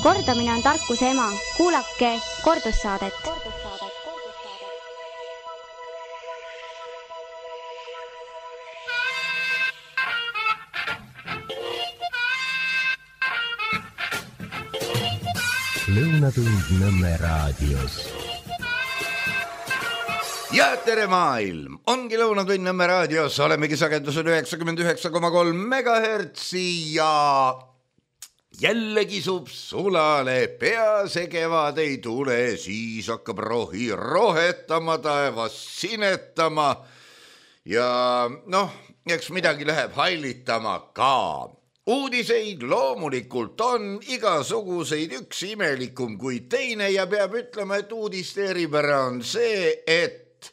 Kordamine on tarkuse ema. Kuulake kordussaadet. Lõunatund Nõmme raadios. Ja tere maailm, ongi Lõunatund Nõmme raadios, olemegi sagedusel 99,3 MHz ja jälle kisub sulale, pea see kevad ei tule, siis hakkab rohi rohetama, taevas sinetama ja eks midagi läheb hallitama ka. Uudiseid loomulikult on igasuguseid, üks imelikum kui teine ja peab ütlema, et uudiste eripära on see, et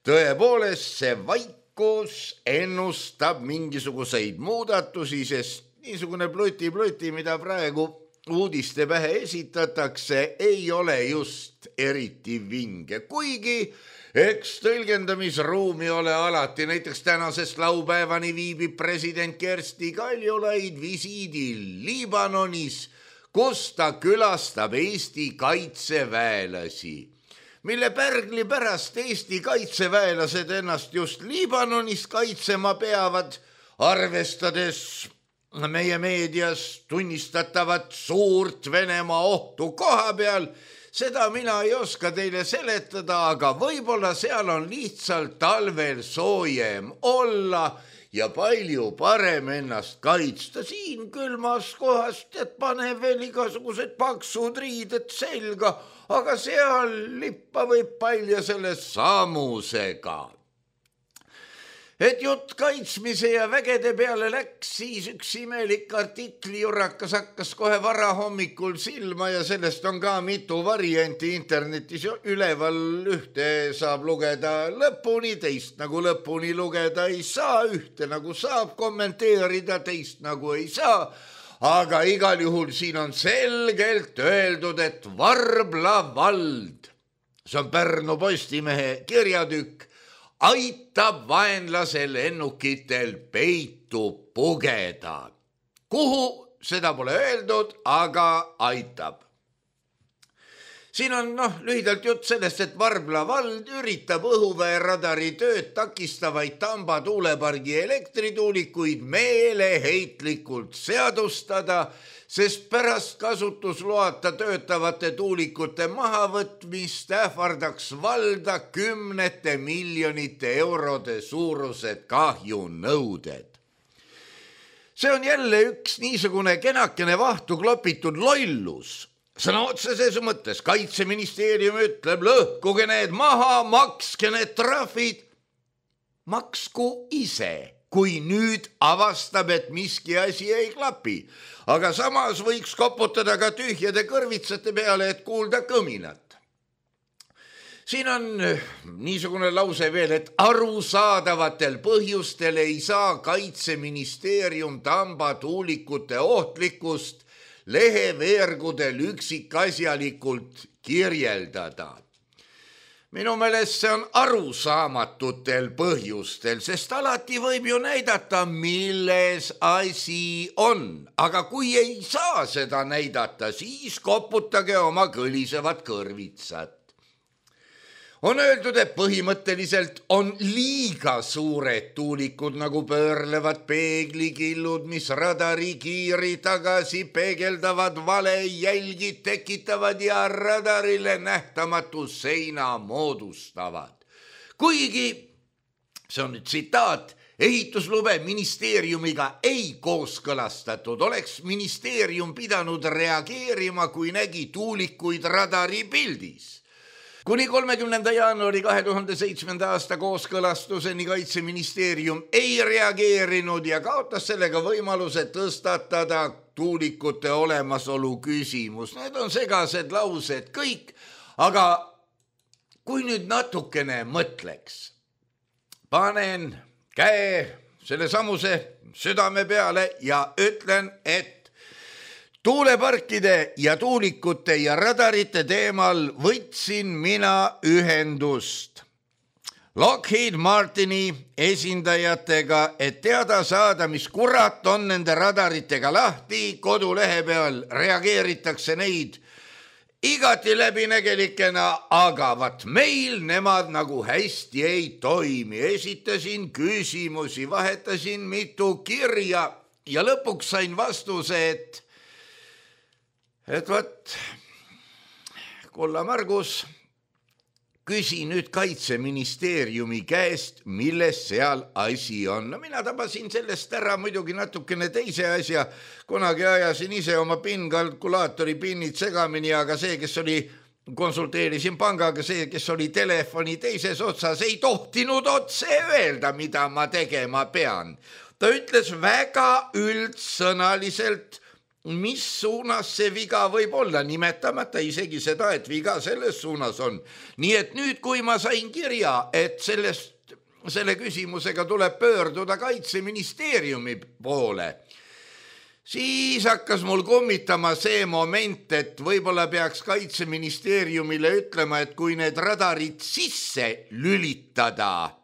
tõepoolest see vaikus ennustab mingisuguseid muudatusi, sest niisugune pluti, mida praegu uudiste pähe esitatakse, ei ole just eriti vinge, kuigi eks tõlgendamisruumi ole alati. Näiteks tänasest laupäevani viibib president Kersti Kaljulaid visiidil Liibanonis, kus ta külastab Eesti kaitseväelasi, mille pärgli pärast Eesti kaitseväelased ennast just Liibanonis kaitsema peavad, arvestades meie meedias tunnistatavat suurt Venemaa ohtu koha peal. Seda mina ei oska teile seletada, aga võib-olla seal on lihtsalt talvel soojem olla ja palju parem ennast kaitsta. Siin külmas kohast, et pane veel igasugused paksud riided selga, aga seal lippa võib palja selle sammusega. Et jutt kaitsmise ja vägede peale läks, siis üks imelik artiklijurakas hakkas kohe varahommikul silma ja sellest on ka mitu varianti internetis üleval. Ühte saab lugeda lõpuni, teist nagu lõpuni lugeda ei saa, ühte nagu saab kommenteerida, teist nagu ei saa. Aga igal juhul siin on selgelt öeldud, et Varbla vald, see on Pärnu Postimehe kirjatükk, aitab vaenlasel lennukitel peitu pugeda. Kuhu, seda pole öeldud, aga aitab. Siin on lühidalt jutt sellest, et Varbla vald üritab õhuväeradari tööd takistavaid Tamba tuulepargi elektrituulikuid meeleheitlikult seadustada, sest pärast kasutusloata töötavate tuulikute mahavõtmist ähvardaks valda 10 miljonite eurode suurused kahjunõuded. See on jälle üks niisugune kenakene vahtu klopitud lollus. Sõna otseses mõttes Kaitseministeerium ütleb, lõhkuge need maha, makske need trahvid. Maksku ise, kui nüüd avastab, et miski asi ei klapi. Aga samas võiks koputada ka tühjade kõrvitsate peale, et kuulda kõminat. Siin on niisugune lause veel, et arusaadavatel põhjustel ei saa Kaitseministeerium Tamba tuulikute ohtlikkust leheveergudel üksikasjalikult kirjeldada. Minu meelest see on arusaamatutel põhjustel, sest alati võib ju näidata, milles asi on. Aga kui ei saa seda näidata, siis koputage oma kõlisevad kõrvitsad. On öeldud, et põhimõtteliselt on liiga suured tuulikud nagu pöörlevad peeglikillud, mis radarikiiri tagasi peegeldavad valejälgid tekitavad ja radarile nähtamatu seina moodustavad. Kuigi, see on nüüd tsitaat, ehituslube ministeeriumiga ei kooskõlastatud, oleks ministeerium pidanud reageerima, kui nägi tuulikuid radari pildis. Kuni 30. jaanuari 2007. aasta kooskõlastuseni Kaitseministeerium ei reageerinud ja kaotas sellega võimaluse tõstatada tuulikute olemasolu küsimus. Need on segased laused kõik, aga kui nüüd natukene mõtleks, panen käe selle samuse südame peale ja ütlen, et tuuleparkide ja tuulikute ja radarite teemal võtsin mina ühendust Lockheed Martini esindajatega, et teada saada, mis kurat on nende radaritega lahti. Kodulehe peal reageeritakse neid igati läbinägelikena, aga vat meil nemad nagu hästi ei toimi. Esitasin küsimusi, vahetasin mitu kirja ja lõpuks sain vastuse, et vat, kulla Margus, küsi nüüd Kaitseministeeriumi käest, milles seal asi on. No mina tabasin sellest ära muidugi natukene teise asja. Kunagi ajasin ise oma PIN-kalkulaatori pinnid segamini, aga see, kes oli, konsulteerisin pangaga, see, kes oli telefoni teises otsas, ei tohtinud otse öelda, mida ma tegema pean. Ta ütles väga üldsõnaliselt, mis suunas see viga võib olla, nimetamata isegi seda, et viga selles suunas on. Nii et nüüd, kui ma sain kirja, et selle küsimusega tuleb pöörduda Kaitseministeeriumi poole, siis hakkas mul kummitama see moment, et võib-olla peaks Kaitseministeeriumile ütlema, et kui need radarid sisse lülitada,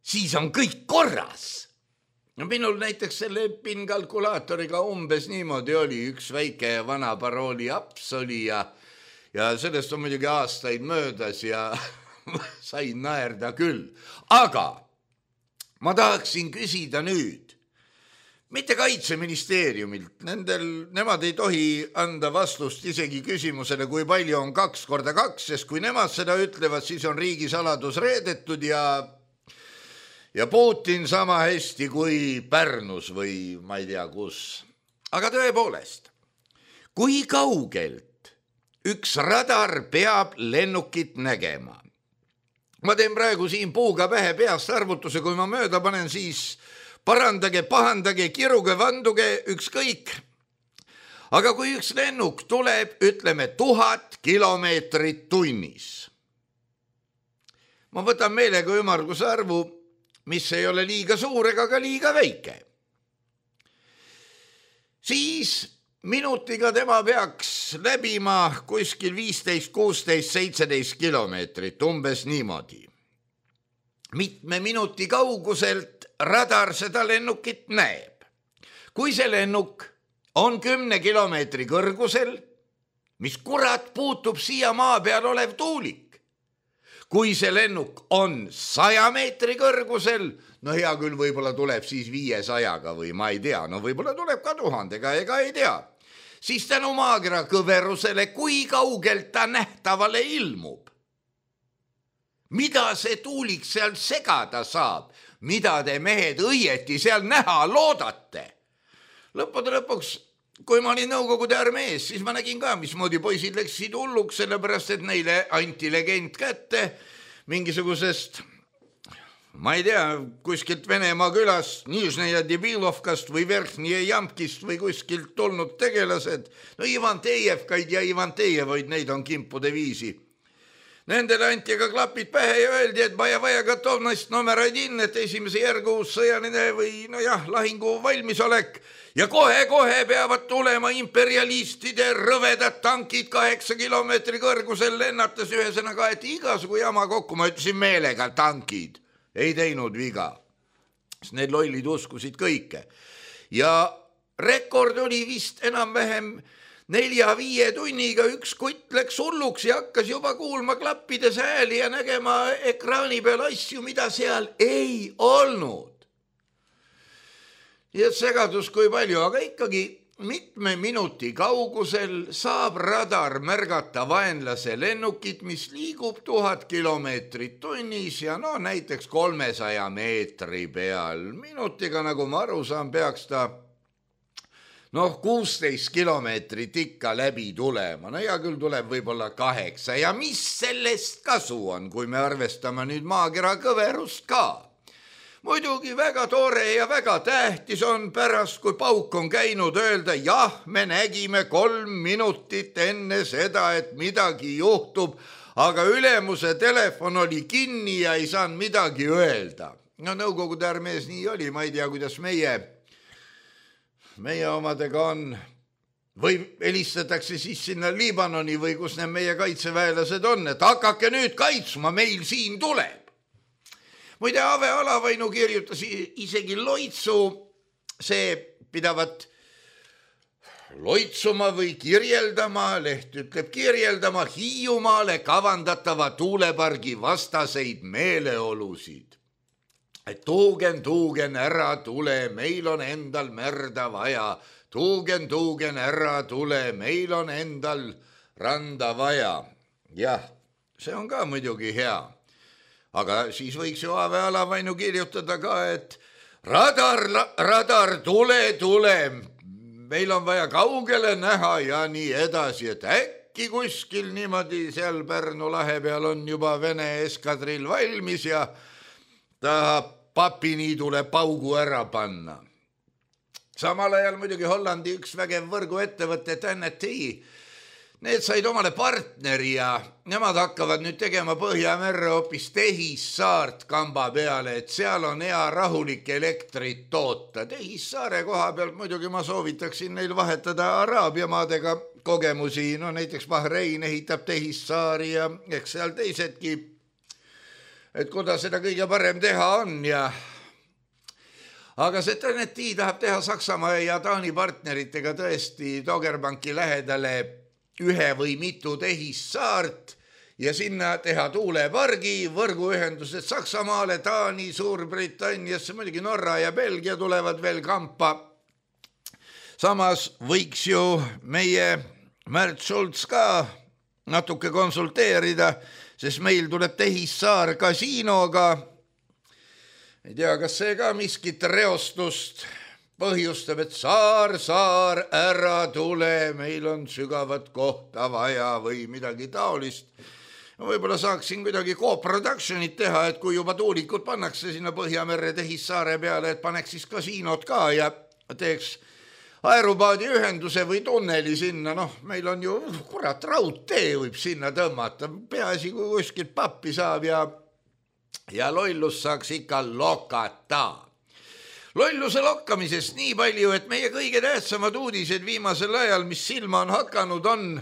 siis on kõik korras. No minul näiteks selle PIN-kalkulaatoriga umbes niimoodi oli, üks väike vana parooli aps oli ja sellest on muidugi aastaid möödas ja sain naerda küll. Aga ma tahaksin küsida nüüd, mitte Kaitseministeeriumilt, nemad ei tohi anda vastust isegi küsimusele, kui palju on 2 × 2, sest kui nemad seda ütlevad, siis on riigisaladus reedetud ja Putin sama hästi kui Pärnus või ma ei tea kus. Aga tõepoolest, kui kaugelt üks radar peab lennukit nägema? Ma teen praegu siin puuga pähe peast arvutuse, kui ma mööda panen, siis parandage, pahandage, kiruge, vanduge, ükskõik. Aga kui üks lennuk tuleb, ütleme 1000 kilomeetrit tunnis. Ma võtan meelega ümmarguse arvu, mis ei ole liiga suur ega ka liiga väike. Siis minutiga tema peaks läbima kuskil 15, 16, 17 kilomeetrit, umbes niimoodi. Mitme minuti kauguselt radar seda lennukit näeb. Kui see lennuk on 10 kilomeetri kõrgusel, mis kurat puutub siia maa peal olev tuulik? Kui see lennuk on 100 meetri kõrgusel, no hea küll, võib-olla tuleb siis 500-ga või ma ei tea, no võib-olla tuleb ka 1000-ga, ega ei tea. Siis tänu maakera kõverusele, kui kaugelt ta nähtavale ilmub. Mida see tuulik seal segada saab? Mida te mehed õieti seal näha loodate? Lõppude lõpuks, kui ma olin Nõukogude armees, siis ma nägin ka, mismoodi poisid läksid hulluks, sellepärast et neile anti legend kätte mingisugusest, ma ei tea, kuskilt Venemaa külast, Nižneja Debilovkast või Verhnije Jamkist või kuskilt tulnud tegelased. No Ivan Tejevkaid ja Ivan Tejevoid, neid on kimpude viisi. Nendele anti ka klapid pähe ja öeldi, et vaja gotovnost number 1, et esimese järgu sõjaline või lahingu valmisolek. Ja kohe peavad tulema imperialistide rõvedad tankid 8 kilomeetri kõrgusel lennates, ühesõnaga, et igasugu jama kokku, ma ütlesin meelega tankid, ei teinud viga. Sest need lollid uskusid kõike. Ja rekord oli vist enam-vähem 4-5 tunniga, üks kutt läks hulluks ja hakkas juba kuulma klappides hääli ja nägema ekraani peal asju, mida seal ei olnud. Ja segadus kui palju, aga ikkagi mitme minuti kaugusel saab radar märgata vaenlase lennukit, mis liigub 1000 kilomeetrit tunnis ja näiteks 300 meetri peal. Minutiga, nagu ma aru saan, peaks ta 16 kilomeetrit ikka läbi tulema. No hea küll tuleb võib-olla 8 ja mis sellest kasu on, kui me arvestame nüüd maakera kõverust ka? Muidugi väga tore ja väga tähtis on pärast, kui pauk on käinud, öelda, jah, me nägime 3 minutit enne seda, et midagi juhtub, aga ülemuse telefon oli kinni ja ei saanud midagi öelda. No Nõukogude armees nii oli, ma ei tea, kuidas meie omadega on. Või helistatakse siis sinna Liibanoni või kus need meie kaitseväelased on, et hakake nüüd kaitsma, meil siin tuleb. Muide, Ave Alavainu kirjutas isegi loitsu, see pidavat loitsuma või kirjeldama, leht ütleb kirjeldama Hiiumaale kavandatava tuulepargi vastaseid meeleolusid. Et tuugen, ära tule, meil on endal merda vaja. Tuugen, ära tule, meil on endal randa vaja. Jah, see on ka muidugi hea. Aga siis võiks ju Ave Alavainu kirjutada ka, et radar, tule, meil on vaja kaugele näha ja nii edasi, et äkki kuskil niimoodi seal Pärnu lahe peal on juba Vene eskadrill valmis ja tahab papiniidule paugu ära panna. Samal ajal muidugi Hollandi üks vägev võrguettevõte TNT, need said omale partneri ja nemad hakkavad nüüd tegema Põhjamerre hoopis Tehissaart kamba peale, et seal on hea rahulik elektrit toota. Tehissaare koha pealt muidugi ma soovitaksin neil vahetada Araabia maadega kogemusi, no näiteks Bahrein ehitab Tehissaari ja eks seal teisedki, et kuidas seda kõige parem teha on ja aga see TNT tahab teha Saksamaa ja Taani partneritega tõesti Doggerbanki lähedale ühe või mitu Tehissaart ja sinna teha tuulepargi, võrguühendused Saksamaale, Taani, Suurbritanniasse, muidugi Norra ja Belgia tulevad veel kampa. Samas võiks ju meie Märt Schultz ka natuke konsulteerida, sest meil tuleb Tehissaar kasiinoga. Ei tea, kas see ka miskit reostust põhjustab, et saar, ära tule, meil on sügavat kohta vaja või midagi taolist. Võib-olla saaksin kuidagi co-productionit teha, et kui juba tuulikud pannakse sinna Põhjamerre Tehissaare peale, et paneks siis kasiinod ka ja teeks aerupaadi ühenduse või tunneli sinna. Noh, meil on ju, kurat, raudtee võib sinna tõmmata. Peaasi, kui kuskilt pappi saab ja lollus saaks ikka lokata. Lolluse lokkamisest nii palju, et meie kõige tähtsamad uudised viimasel ajal, mis silma on hakanud, on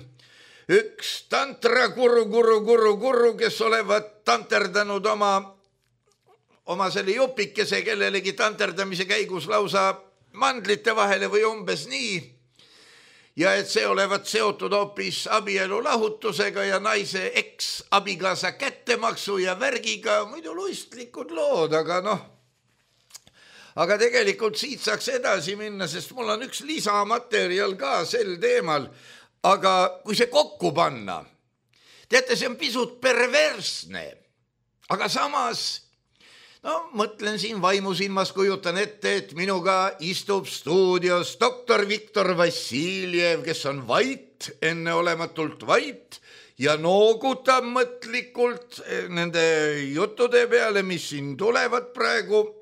üks tantra guru, kes olevat tanterdanud oma selle jupikese kellelegi tanterdamise käigus lausa mandlite vahele või umbes nii. Ja et see olevat seotud hoopis abielu lahutusega ja naise eks-abikaasa kättemaksu ja värgiga, muidu luistlikud lood, aga noh. Aga tegelikult siit saaks edasi minna, sest mul on üks lisamaterjal ka sel teemal, aga kui see kokku panna, teate, see on pisut perversne, aga samas, no mõtlen siin vaimusilmas, kujutan ette, et minuga istub stuudios doktor Viktor Vassiljev, kes on vait, enneolematult vait ja noogutab mõtlikult nende juttude peale, mis siin tulevad praegu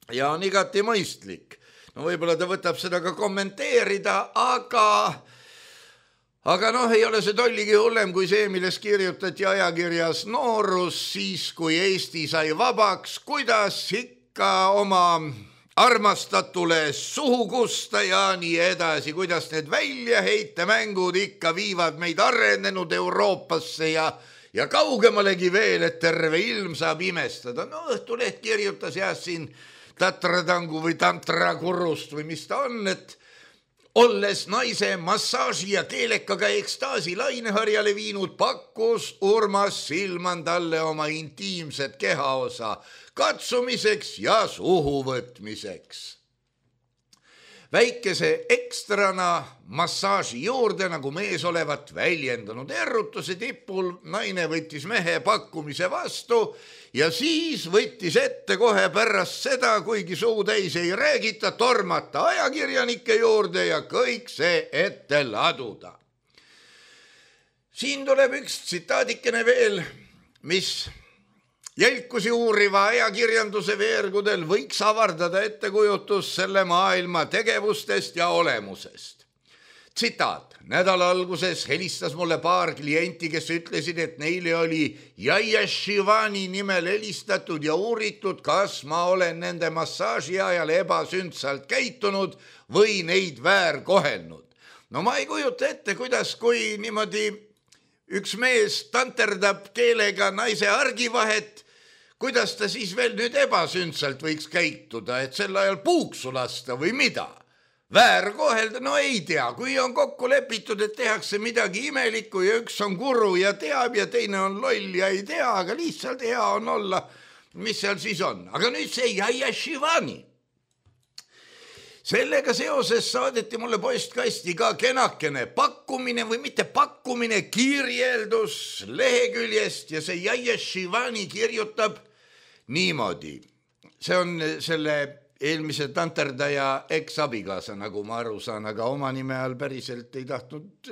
ja on igati mõistlik. No võib-olla ta võtab seda ka kommenteerida, aga noh, ei ole see tolligi hullem kui see, milles kirjutati ajakirjas Noorus, siis kui Eesti sai vabaks, kuidas ikka oma armastatule suhu kusta ja nii edasi, kuidas need väljaheitemängud ikka viivad meid arenenud Euroopasse ja kaugemalegi veel, et terve ilm saab imestada. No Õhtuleht kirjutas siin tatratangu või tantrakurust või mis ta on, et olles naise massaaži ja keelekaga ekstaasi laineharjale viinud, pakkus Urmas Silman talle oma intiimset kehaosa katsumiseks ja suhu võtmiseks. Väikese ekstrana massaaži juurde, nagu mees olevat väljendanud errutuse tipul, naine võttis mehe pakkumise vastu ja siis võttis ette kohe pärast seda, kuigi suutäis ei räägita, tormata ajakirjanike juurde ja kõik see ette laduda. Siin tuleb üks tsitaadikene veel, mis jälkusi uuriva ajakirjanduse veergudel võiks avardada ettekujutus selle maailma tegevustest ja olemusest. Tsitaat. Nädala alguses helistas mulle paar klienti, kes ütlesid, et neile oli Jaia Shivani nimel helistatud ja uuritud, kas ma olen nende massaaži ajal ebasündsalt käitunud või neid väärkohelnud. No ma ei kujuta ette, kuidas kui niimoodi üks mees tanterdab keelega naise argivahet, kuidas ta siis veel nüüd ebasündsalt võiks käituda, et sel ajal puuksu lasta või mida? Väärkohelda, no ei tea, kui on kokku lepitud, et tehakse midagi imelikku ja üks on guru ja teab ja teine on loll ja ei tea, aga lihtsalt hea on olla, mis seal siis on. Aga nüüd see Jaia Shivani. Sellega seoses saadeti mulle postkasti ka kenakene pakkumine või mitte pakkumine, kirjeldus leheküljest ja see Jaia Shivani kirjutab niimoodi. See on selle eelmise tanterdaja eks-abigaasa, nagu ma aru saan, aga oma nime all päriselt ei tahtnud,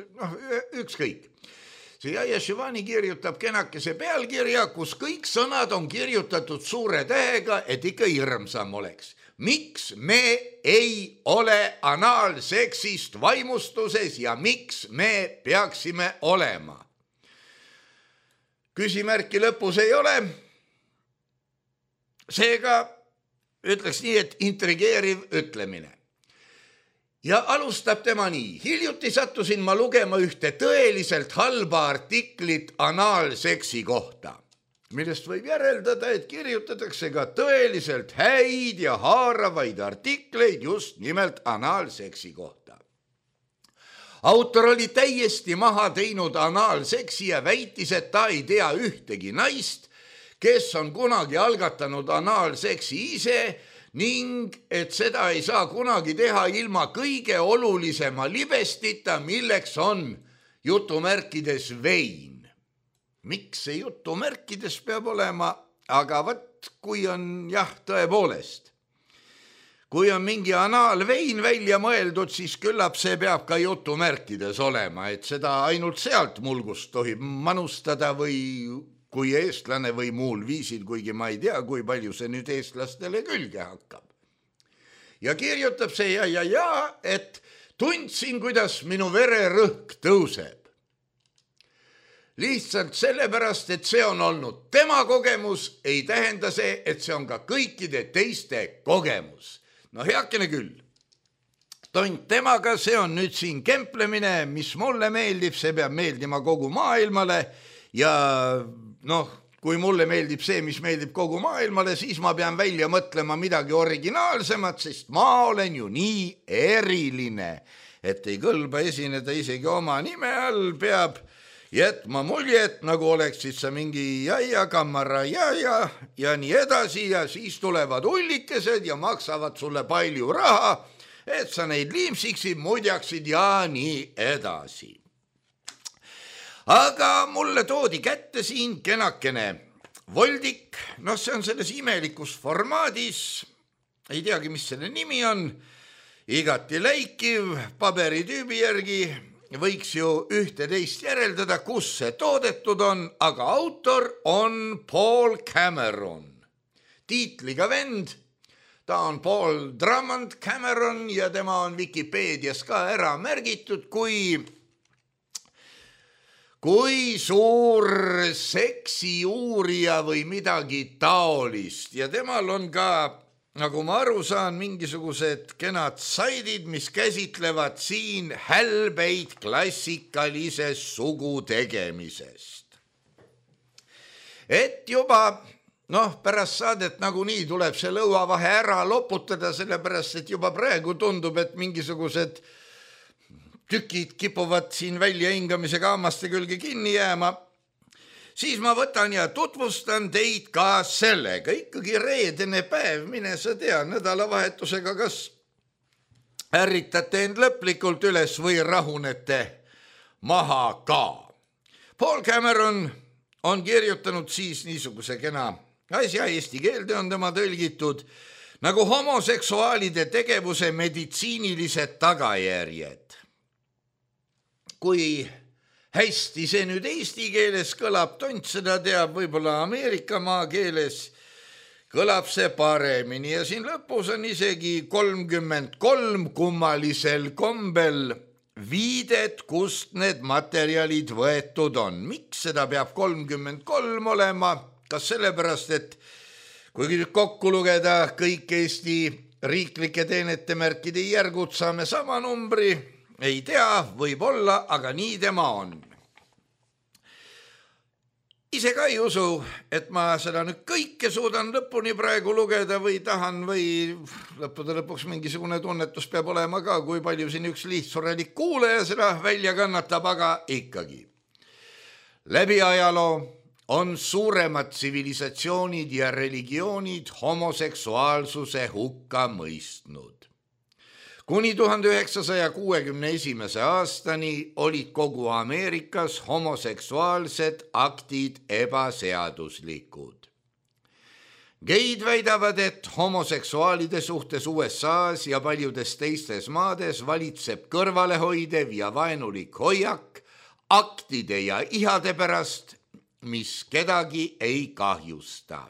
ükskõik. See Jaia Shivani kirjutab kenakese pealkirja, kus kõik sõnad on kirjutatud suure tähega, et ikka hirmsam oleks. Miks me ei ole anaalseksist vaimustuses ja miks me peaksime olema? Küsimärki lõpus ei ole. Seega ütleks nii, et intrigeeriv ütlemine. Ja alustab tema nii. Hiljuti sattusin ma lugema ühte tõeliselt halba artiklit anaalseksi kohta, millest võib järeldada, et kirjutatakse ka tõeliselt häid ja haaravaid artikleid just nimelt anaalseksi kohta. Autor oli täiesti maha teinud anaalseksi ja väitis, et ta ei tea ühtegi naist, kes on kunagi algatanud anaalseksi ise ning et seda ei saa kunagi teha ilma kõige olulisema libestita, milleks on jutumärkides vein. Miks see jutumärkides peab olema, aga võt, kui on tõepoolest. Kui on mingi anaalvein välja mõeldud, siis küllap see peab ka jutumärkides olema, et seda ainult sealt mulgust tohib manustada või kui eestlane või muul viisil, kuigi ma ei tea, kui palju see nüüd eestlastele külge hakkab. Ja kirjutab see et tundsin, kuidas minu vererõhk tõuseb. Lihtsalt sellepärast, et see on olnud tema kogemus, ei tähenda see, et see on ka kõikide teiste kogemus. No heakene küll. Tont temaga, see on nüüd siin kemplemine, mis mulle meeldib, see peab meeldima kogu maailmale ja kui mulle meeldib see, mis meeldib kogu maailmale, siis ma pean välja mõtlema midagi originaalsemat, sest ma olen ju nii eriline, et ei kõlba esineda isegi oma nime all, peab jätma muljet, nagu oleksid sa mingi kammara ja nii edasi ja siis tulevad ullikesed ja maksavad sulle palju raha, et sa neid liimsiksid, mudjaksid ja nii edasi. Aga mulle toodi kätte siin kenakene voldik, see on selles imelikus formaadis, ei teagi, mis selle nimi on, igati läikiv, paberitüübi järgi võiks ju ühte-teist järeldada, kus see toodetud on, aga autor on Paul Cameron, tiitliga vend, ta on Paul Drummond Cameron ja tema on Wikipeedias ka ära märgitud kui suur seksiuurija või midagi taolist ja temal on ka, nagu ma aru saan, mingisugused kenad saidid, mis käsitlevad siin hälbeid klassikalisest sugutegemisest. Et juba, pärast saadet nagunii tuleb see lõuavahe ära loputada, sellepärast, et juba praegu tundub, et mingisugused tükid kipuvad siin välja hingamisega hammaste külge kinni jääma, siis ma võtan ja tutvustan teid ka sellega. Ikkagi reedene päev, mine sa tea, nädalavahetusega kas ärritate end lõplikult üles või rahunete maha ka. Paul Cameron on kirjutanud siis niisuguse kena asja, eesti keelde on tema tõlgitud, nagu homoseksuaalide tegevuse meditsiinilised tagajärjed. Kui hästi see nüüd eesti keeles kõlab, tont seda teab, võib-olla Ameerika maa keeles kõlab see paremini ja siin lõpus on isegi 33 kummalisel kombel viidet, kust need materjalid võetud on. Miks seda peab 33 olema? Kas sellepärast, et kui kokku lugeda kõik Eesti riiklike teenete märkide järgud, saame sama numbri? Ei tea, võib olla, aga nii tema on. ise ka ei usu, et ma seda nüüd kõike suudan lõpuni praegu lugeda või tahan või lõppude lõpuks mingisugune tunnetus peab olema ka, kui palju siin üks lihtsurelik kuulaja seda välja kannatab, aga ikkagi. Läbi ajaloo on suuremad tsivilisatsioonid ja religioonid homoseksuaalsuse hukka mõistnud. Kuni 1961. aastani olid kogu Ameerikas homoseksuaalsed aktid ebaseaduslikud. Geid väidavad, et homoseksuaalide suhtes USA-s ja paljudes teistes maades valitseb kõrvalehoidev ja vaenulik hoiak aktide ja ihade pärast, mis kedagi ei kahjusta.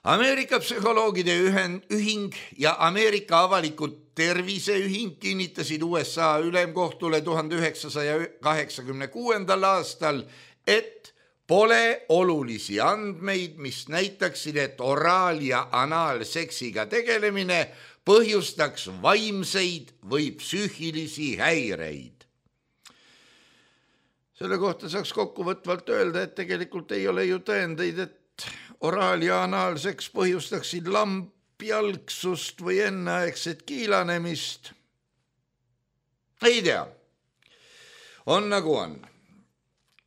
Ameerika psühholoogide ühing ja Ameerika avalikud terviseühing kinnitasid USA ülemkohtule 1986. aastal, et pole olulisi andmeid, mis näitaksid, et oraal- ja anaalseksiga tegelemine põhjustaks vaimseid või psüühilisi häireid. Selle kohta saaks kokkuvõtvalt öelda, et tegelikult ei ole ju tõendeid, et oraal- ja anaalseks põhjustaksid lambjalgsust või enneaegset kiilanemist. Ei tea. On nagu on.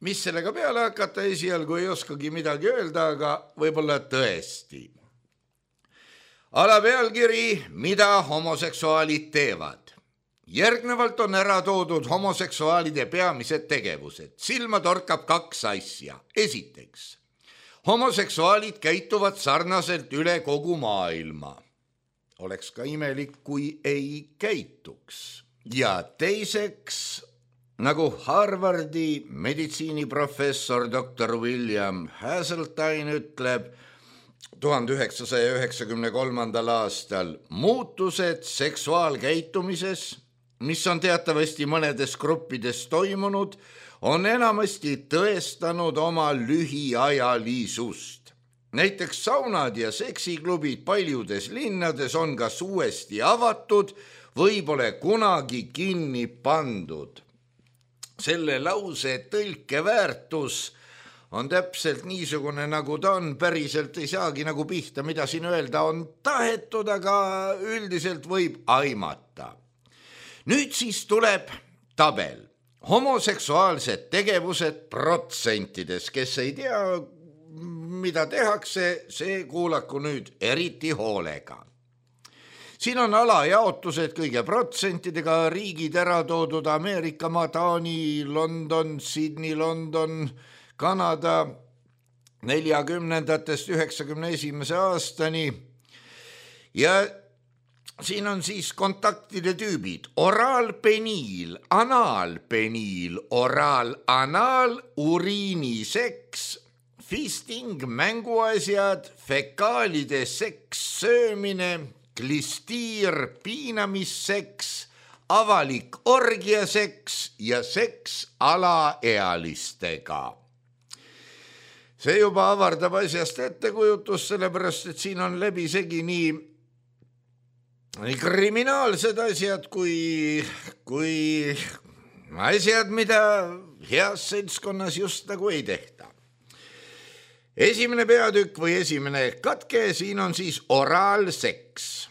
Mis sellega peale hakata, esialgu ei oskagi midagi öelda, aga võib-olla tõesti. Alapealkiri, mida homoseksuaalid teevad. Järgnevalt on ära toodud homoseksuaalide peamised tegevused. Silma torkab 2 asja. Esiteks, homoseksuaalid käituvad sarnaselt üle kogu maailma. Oleks ka imelik, kui ei käituks. Ja teiseks, nagu Harvardi meditsiiniprofessor Dr. William Haseltine ütleb 1993. aastal, muutused seksuaalkäitumises, mis on teatavasti mõnedes gruppides toimunud, on enamasti tõestanud oma lühiajalisust. Näiteks saunad ja seksiklubid paljudes linnades on kas uuesti avatud või pole kunagi kinni pandud. Selle lause tõlkeväärtus on täpselt niisugune, nagu ta on, päriselt ei saagi nagu pihta, mida siin öelda on tahetud, aga üldiselt võib aimata. Nüüd siis tuleb tabel. Homoseksuaalsed tegevused protsentides, kes ei tea, mida tehakse, see kuulaku nüüd eriti hoolega. Siin on alajaotused kõige protsentidega, riigid ära toodud: Ameerika, Taani, London, Sydney, London, Kanada 40-ndatest 91. aastani. Ja siin on siis kontaktide tüübid: oraalpeniil, anaalpeniil, oraal-anaal, uriiniseks, fisting, mänguasjad, fekaalide seks, söömine, klistiir, piinamisseks, avalik orgiaseks ja seks alaealistega. See juba avardab asjast ettekujutust, sellepärast et siin on läbisegi nii kriminaalsed asjad kui asjad, mida heas seltskonnas just nagu ei tehta. Esimene peatükk või esimene katke, siin on siis oraalseks.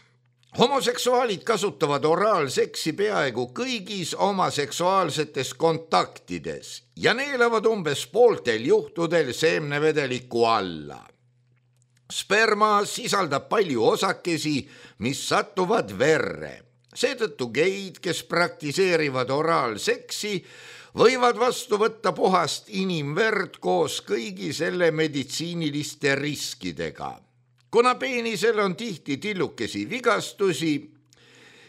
Homoseksuaalid kasutavad oraalseksi peaaegu kõigis oma seksuaalsetes kontaktides ja neelavad umbes pooltel juhtudel seemnevedeliku alla. Sperma sisaldab palju osakesi, mis satuvad verre. Seetõttu geid, kes praktiseerivad oraalseksi, võivad vastu võtta puhast inimverd koos kõigi selle meditsiiniliste riskidega. Kuna peenisel on tihti tillukesi vigastusi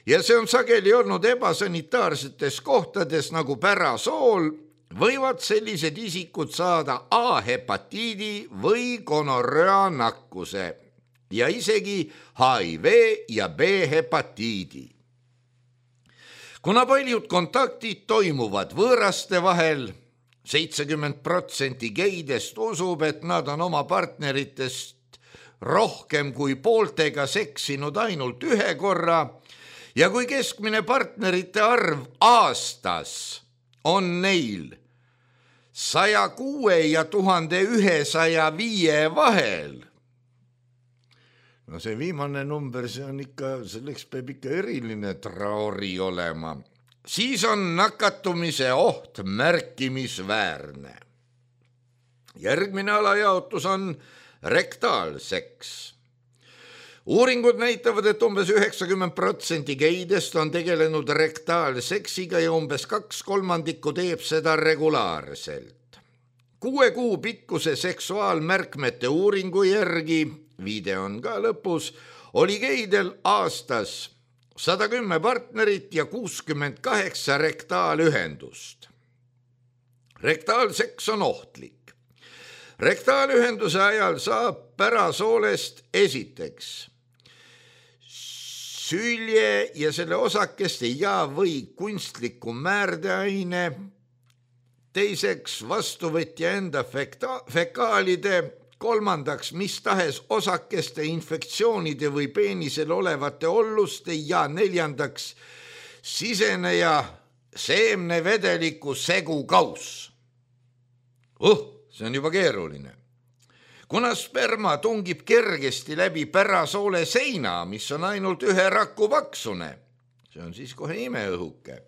ja see on sageli olnud ebasanitaarsetes kohtades nagu pärasool, võivad sellised isikud saada A-hepatiidi või gonorröa nakkuse ja isegi HIV ja B-hepatiidi. Kuna paljud kontaktid toimuvad võõraste vahel, 70% geidest usub, et nad on oma partneritest rohkem kui pooltega seksinud ainult 1 korra ja kui keskmine partnerite arv aastas on neil 106 ja 1105 vahel. No see viimane number, see on ikka, selleks peab ikka eriline traori olema. Siis on nakatumise oht märkimisväärne. Järgmine alajaotus on rektaalseks. Uuringud näitavad, et umbes 90% geidest on tegelenud rektaalseksiga ja umbes 2/3 teeb seda regulaarselt. 6 kuu pikkuse seksuaalmärkmete uuringu järgi, viide on ka lõpus, oli geidel aastas 110 partnerit ja 68 rektaalühendust. Rektaalseks on ohtlik. Rektaalühenduse ajal saab pärasoolest esiteks sülje ja selle osakeste ja või kunstliku määrdeaine, teiseks vastuvõtja enda fekaalide, kolmandaks mis tahes osakeste, infektsioonide või peenisel olevate olluste ja neljandaks siseneja seemnevedeliku segukauss. See on juba keeruline. Kuna sperma tungib kergesti läbi pärasoole seina, mis on ainult 1 raku paksune, see on siis kohe imeõhuke,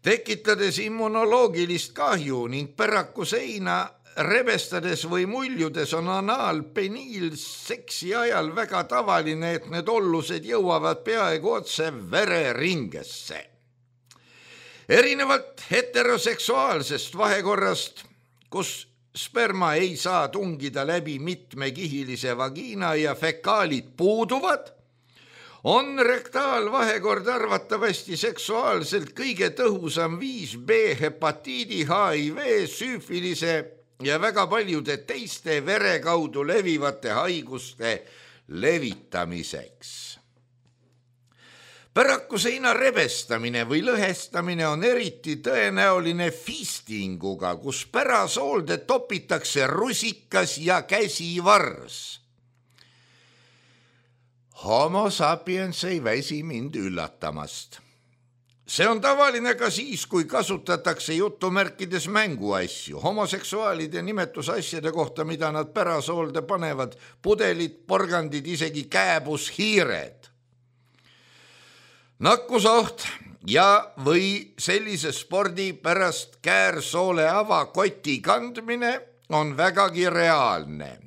tekitades immunoloogilist kahju ning päraku seina rebestades või muljudes on anaalpeniilseksi ajal väga tavaline, et need ollused jõuavad peaaegu otse vereringesse. Erinevalt heteroseksuaalsest vahekorrast, kus sperma ei saa tungida läbi mitmekihilise vagiina ja fekaalid puuduvad, on rektaalvahekord arvatavasti seksuaalselt kõige tõhusam viis B-hepatiidi, HIV, süüfilise ja väga paljude teiste vere kaudu levivate haiguste levitamiseks. Päraku seina rebestamine või lõhestamine on eriti tõenäoline fistinguga, kus pärasoolde topitakse rusikas ja käsivars. Homo sapiens ei väsi mind üllatamast. See on tavaline ka siis, kui kasutatakse jutumärkides mänguasju, homoseksuaalide nimetusasjade kohta, mida nad pärasoolde panevad, pudelid, porgandid, isegi kääbushiired. Nakkusoht ja või sellise spordi pärast käärsoole avakoti kandmine on vägagi reaalne.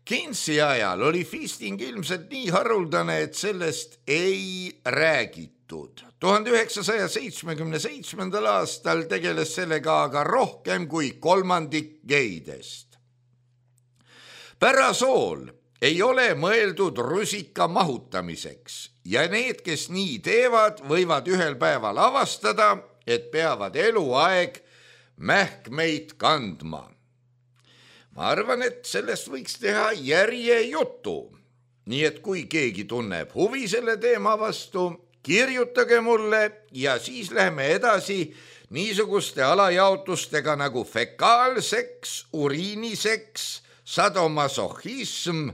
Keynesi ajal oli fisting ilmselt nii haruldane, et sellest ei räägitud. 1977. aastal tegeles sellega aga rohkem kui 1/3 geidest. Pärasool ei ole mõeldud rusika mahutamiseks ja need, kes nii teevad, võivad ühel päeval avastada, et peavad eluaeg mähkmeid kandma. Ma arvan, et sellest võiks teha järjejutu. Nii et kui keegi tunneb huvi selle teema vastu, kirjutage mulle ja siis lähme edasi niisuguste alajaotustega nagu fekaalseks, uriiniseks, sadomasohhism,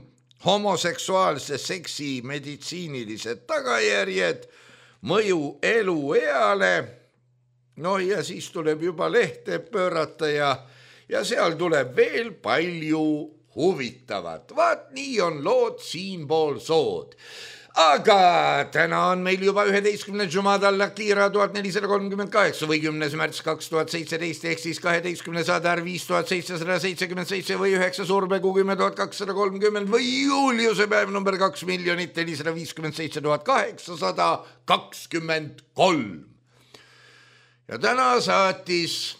homoseksuaalse seksi meditsiinilised tagajärjed, mõju elueale, ja siis tuleb juba lehte pöörata ja seal tuleb veel palju huvitavat. Vaat nii on lood siinpool sood. Aga täna on meil juba 11. Jumadal Lakira 1438 või 10. märts 2017 ehk siis 12. Sadar 5777 või 9. Surmegu 10.230 või Juliuse päev number 2,457,823. Ja täna saatis,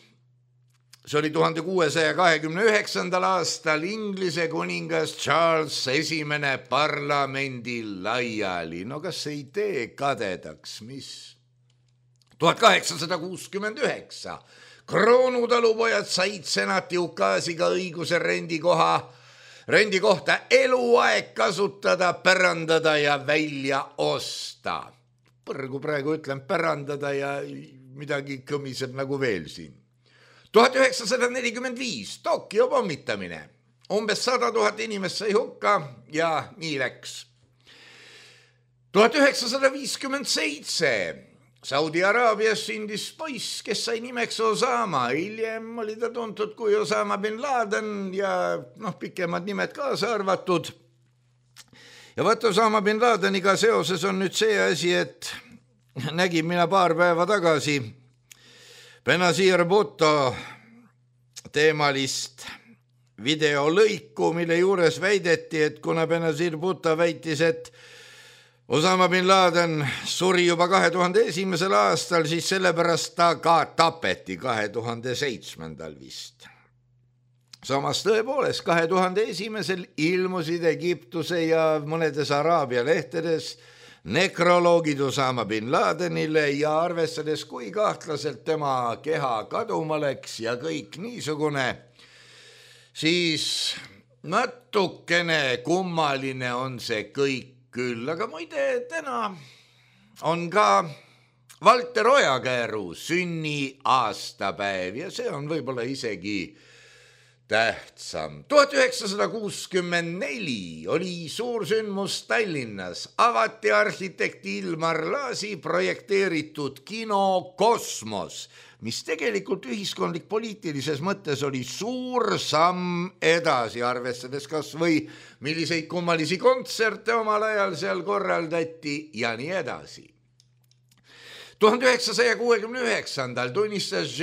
see oli 1629. aastal Inglise kuningas Charles I parlamendil laiali. No kas ei tee kadedaks, mis? 1869 kroonutalupojad said senati ukaasiga õiguse rendikohta eluaeg kasutada, pärandada ja välja osta. Põrgu praegu ütlen pärandada ja midagi kõmiseb nagu veel siin. 1945 Tokyo pommitamine. Umbes 100 000 inimest sai hukka ja nii läks. 1957 Saudi Araabias sündis poiss, kes sai nimeks Osama. Hiljem oli ta tuntud kui Osama bin Laden ja pikemad nimed kaasa arvatud. Ja võt Osama bin Ladeniga seoses on nüüd see asi, et nägin mina paar päeva tagasi Benazir Bhutto teemalist videolõiku, mille juures väideti, et kuna Benazir Bhutto väitis, et Osama bin Laden suri juba 2001. aastal, siis sellepärast ta ka tapeti 2007. vist. Samas tõepoolest 2001. ilmusid Egiptuse ja mõnedes Araabia lehtedes nekroloogid Osama bin Ladenile ja arvestades, kui kahtlaselt tema keha kaduma läks ja kõik niisugune, siis natukene kummaline on see kõik küll, aga muide täna on ka Valter Ojakääru sünni aastapäev ja see on võib-olla isegi tähtsam. 1964 oli suur sündmus Tallinnas, avati arhitekti Ilmar Laasi projekteeritud kino Kosmos, mis tegelikult ühiskondlik-poliitilises mõttes oli suur samm edasi, arvestades kas või milliseid kummalisi kontserte omal ajal seal korraldati ja nii edasi. 1969. tunnistas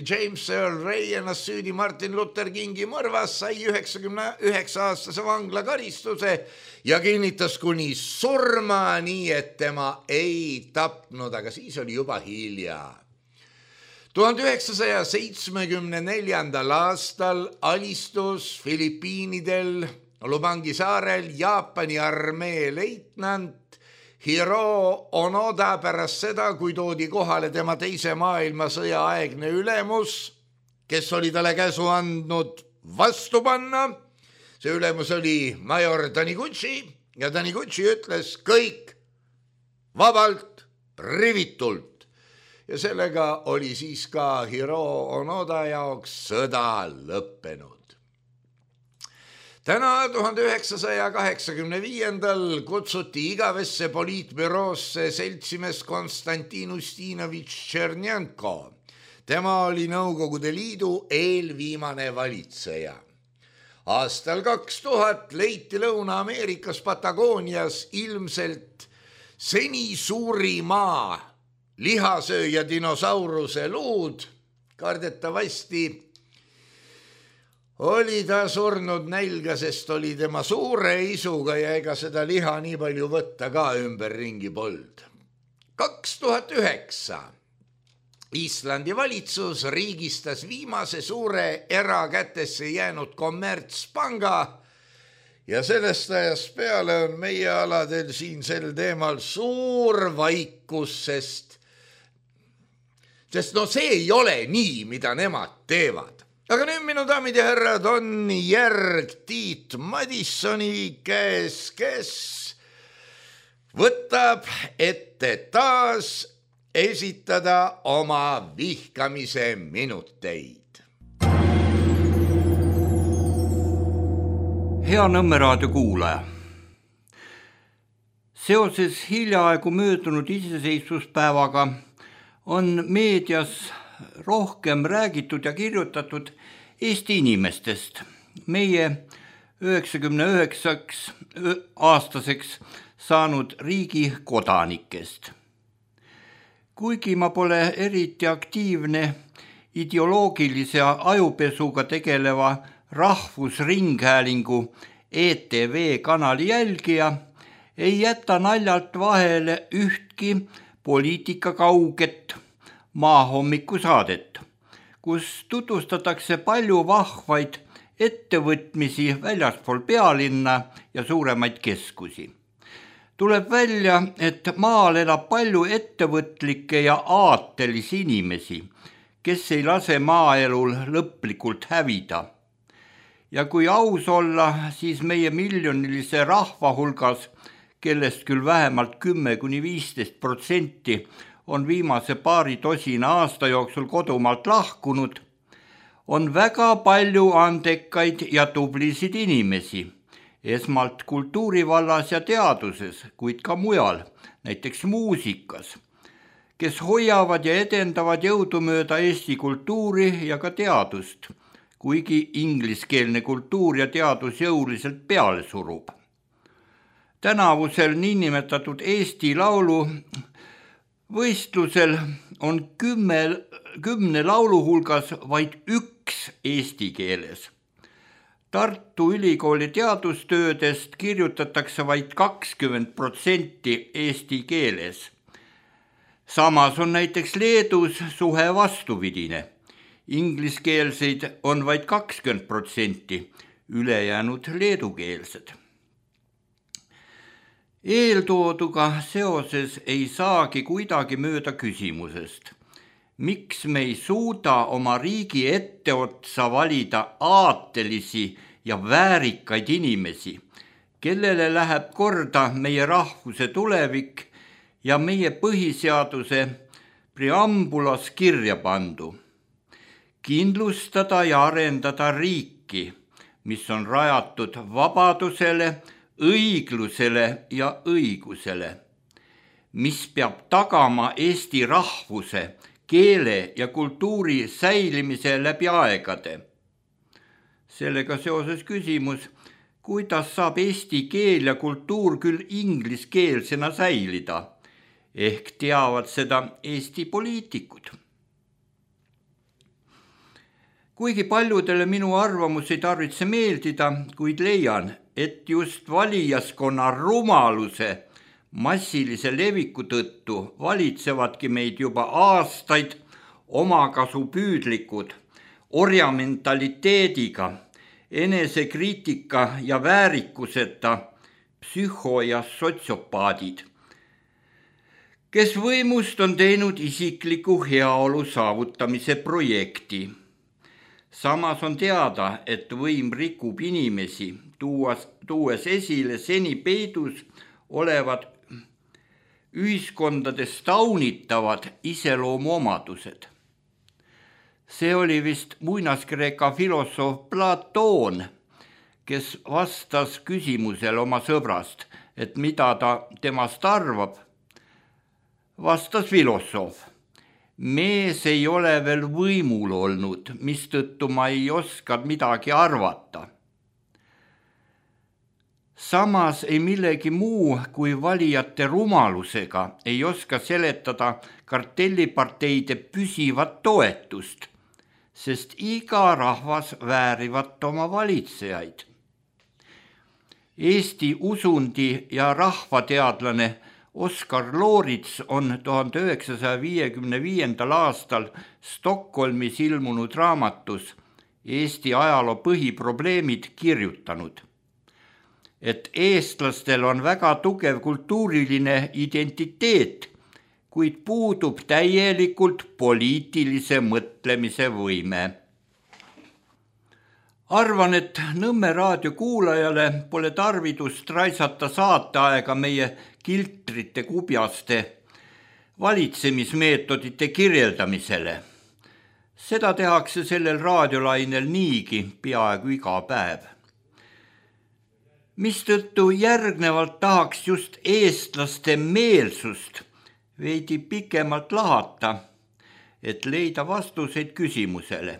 James Earl Ray ennast süüdi Martin Luther Kingi mõrvas, sai 99-aastase vanglakaristuse ja kinnitas kuni surma, nii et tema ei tapnud, aga siis oli juba hilja. 1974. aastal alistus Filipiinidel Lubangi saarel Jaapani armee leitnant Hiro Onoda pärast seda, kui toodi kohale tema teise maailmasõja aegne ülemus, kes oli talle käsu andnud vastu panna. See ülemus oli major Taniguchi ja Taniguchi ütles kõik vabalt, rivitult. Ja sellega oli siis ka Hiro Onoda jaoks sõda lõppenud. Täna 1985. kutsuti igavesse poliitbüroosse seltsimees Konstantin Ustinovitš Tšernjenko. Tema oli Nõukogude Liidu eelviimane valitseja. Aastal 2000 leiti Lõuna-Ameerikas Patagoonias ilmselt seni suurima lihasööja dinosauruse luud. Kardetavasti oli ta surnud nälga, sest oli tema suure isuga ja ega seda liha nii palju võtta ka ümberringi polnud. 2009 Islandi valitsus riigistas viimase suure erakätesse jäänud kommertspanga ja sellest ajast peale on meie aladel siin sel teemal suur vaikus, sest see ei ole nii, mida nemad teevad. Aga nüüd minu daamid ja härrad on järg Tiit Madissoni käes, kes võtab ette taas esitada oma vihkamise minuteid. Hea Nõmme raadio kuulaja. Seoses hiljaaegu möödunud iseseisvuspäevaga on meedias rohkem räägitud ja kirjutatud Eesti inimestest, meie 99-aastaseks saanud riigi kodanikest. Kuigi ma pole eriti aktiivne ideoloogilise ajupesuga tegeleva Rahvusringhäälingu ETV kanali jälgija, ei jäta naljalt vahele ühtki poliitikakauget maahommikusaadet, kus tutvustatakse palju vahvaid ettevõtmisi väljaspool pealinna ja suuremaid keskusi. Tuleb välja, et maal elab palju ettevõtlikke ja aatelisi inimesi, kes ei lase maaelul lõplikult hävida. Ja kui aus olla, siis meie miljonilise rahva hulgas, kellest küll vähemalt 10–15% on viimase paari tosina aasta jooksul kodumaalt lahkunud, on väga palju andekaid ja tublisid inimesi, esmalt kultuurivallas ja teaduses, kuid ka mujal, näiteks muusikas, kes hoiavad ja edendavad jõudumööda Eesti kultuuri ja ka teadust, kuigi ingliskeelne kultuur ja teadus jõuliselt peale surub. Tänavusel niinimetatud Eesti Laulu võistlusel on 10 laulu hulgas vaid üks eesti keeles. Tartu Ülikooli teadustöödest kirjutatakse vaid 20% eesti keeles. Samas on näiteks Leedus suhe vastupidine. Ingliskeelseid on vaid 20%, ülejäänud leedukeelsed. Eeltooduga seoses ei saagi kuidagi mööda küsimusest, miks me ei suuda oma riigi etteotsa valida aatelisi ja väärikaid inimesi, kellele läheb korda meie rahvuse tulevik ja meie põhiseaduse preambulas kirja pandu. Kindlustada ja arendada riiki, mis on rajatud vabadusele, õiglusele ja õigusele, mis peab tagama eesti rahvuse, keele ja kultuuri säilimise läbi aegade. Sellega seoses küsimus, kuidas saab eesti keel ja kultuur küll ingliskeelsena säilida, ehk teavad seda Eesti poliitikud. Kuigi paljudele minu arvamus ei tarvitse meeldida, kuid leian, et just valijaskonna rumaluse massilise leviku tõttu valitsevadki meid juba aastaid omakasupüüdlikud, orjamentaliteediga, enesekriitika ja väärikuseta psühho- ja sotsiopaadid, kes võimust on teinud isikliku heaolu saavutamise projekti. Samas on teada, et võim rikub inimesi, tuues esile seni peidus olevad ühiskondades taunitavad iseloomuomadused. See oli vist muinaskreeka filosoof Platoon, kes vastas küsimusele oma sõbrast, et mida ta temast arvab. Vastas filosoof. Mees ei ole veel võimul olnud, mistõttu ma ei oska midagi arvata. Samas ei millegi muu kui valijate rumalusega ei oska seletada kartelliparteide püsivat toetust, sest iga rahvas väärivat oma valitsejaid. Eesti usundi ja rahvateadlane Oskar Loorits on 1955. aastal Stockholmis ilmunud raamatus Eesti ajaloo põhiprobleemid kirjutanud, et eestlastel on väga tugev kultuuriline identiteet, kuid puudub täielikult poliitilise mõtlemise võime. Arvan, et Nõmme raadio kuulajale pole tarvidust raisata saateaega meie kiltrite kubjaste valitsemismeetodite kirjeldamisele. Seda tehakse sellel raadiolainel niigi peaaegu iga päev. Mistõttu järgnevalt tahaks just eestlaste meelsust veidi pikemalt lahata, et leida vastuseid küsimusele.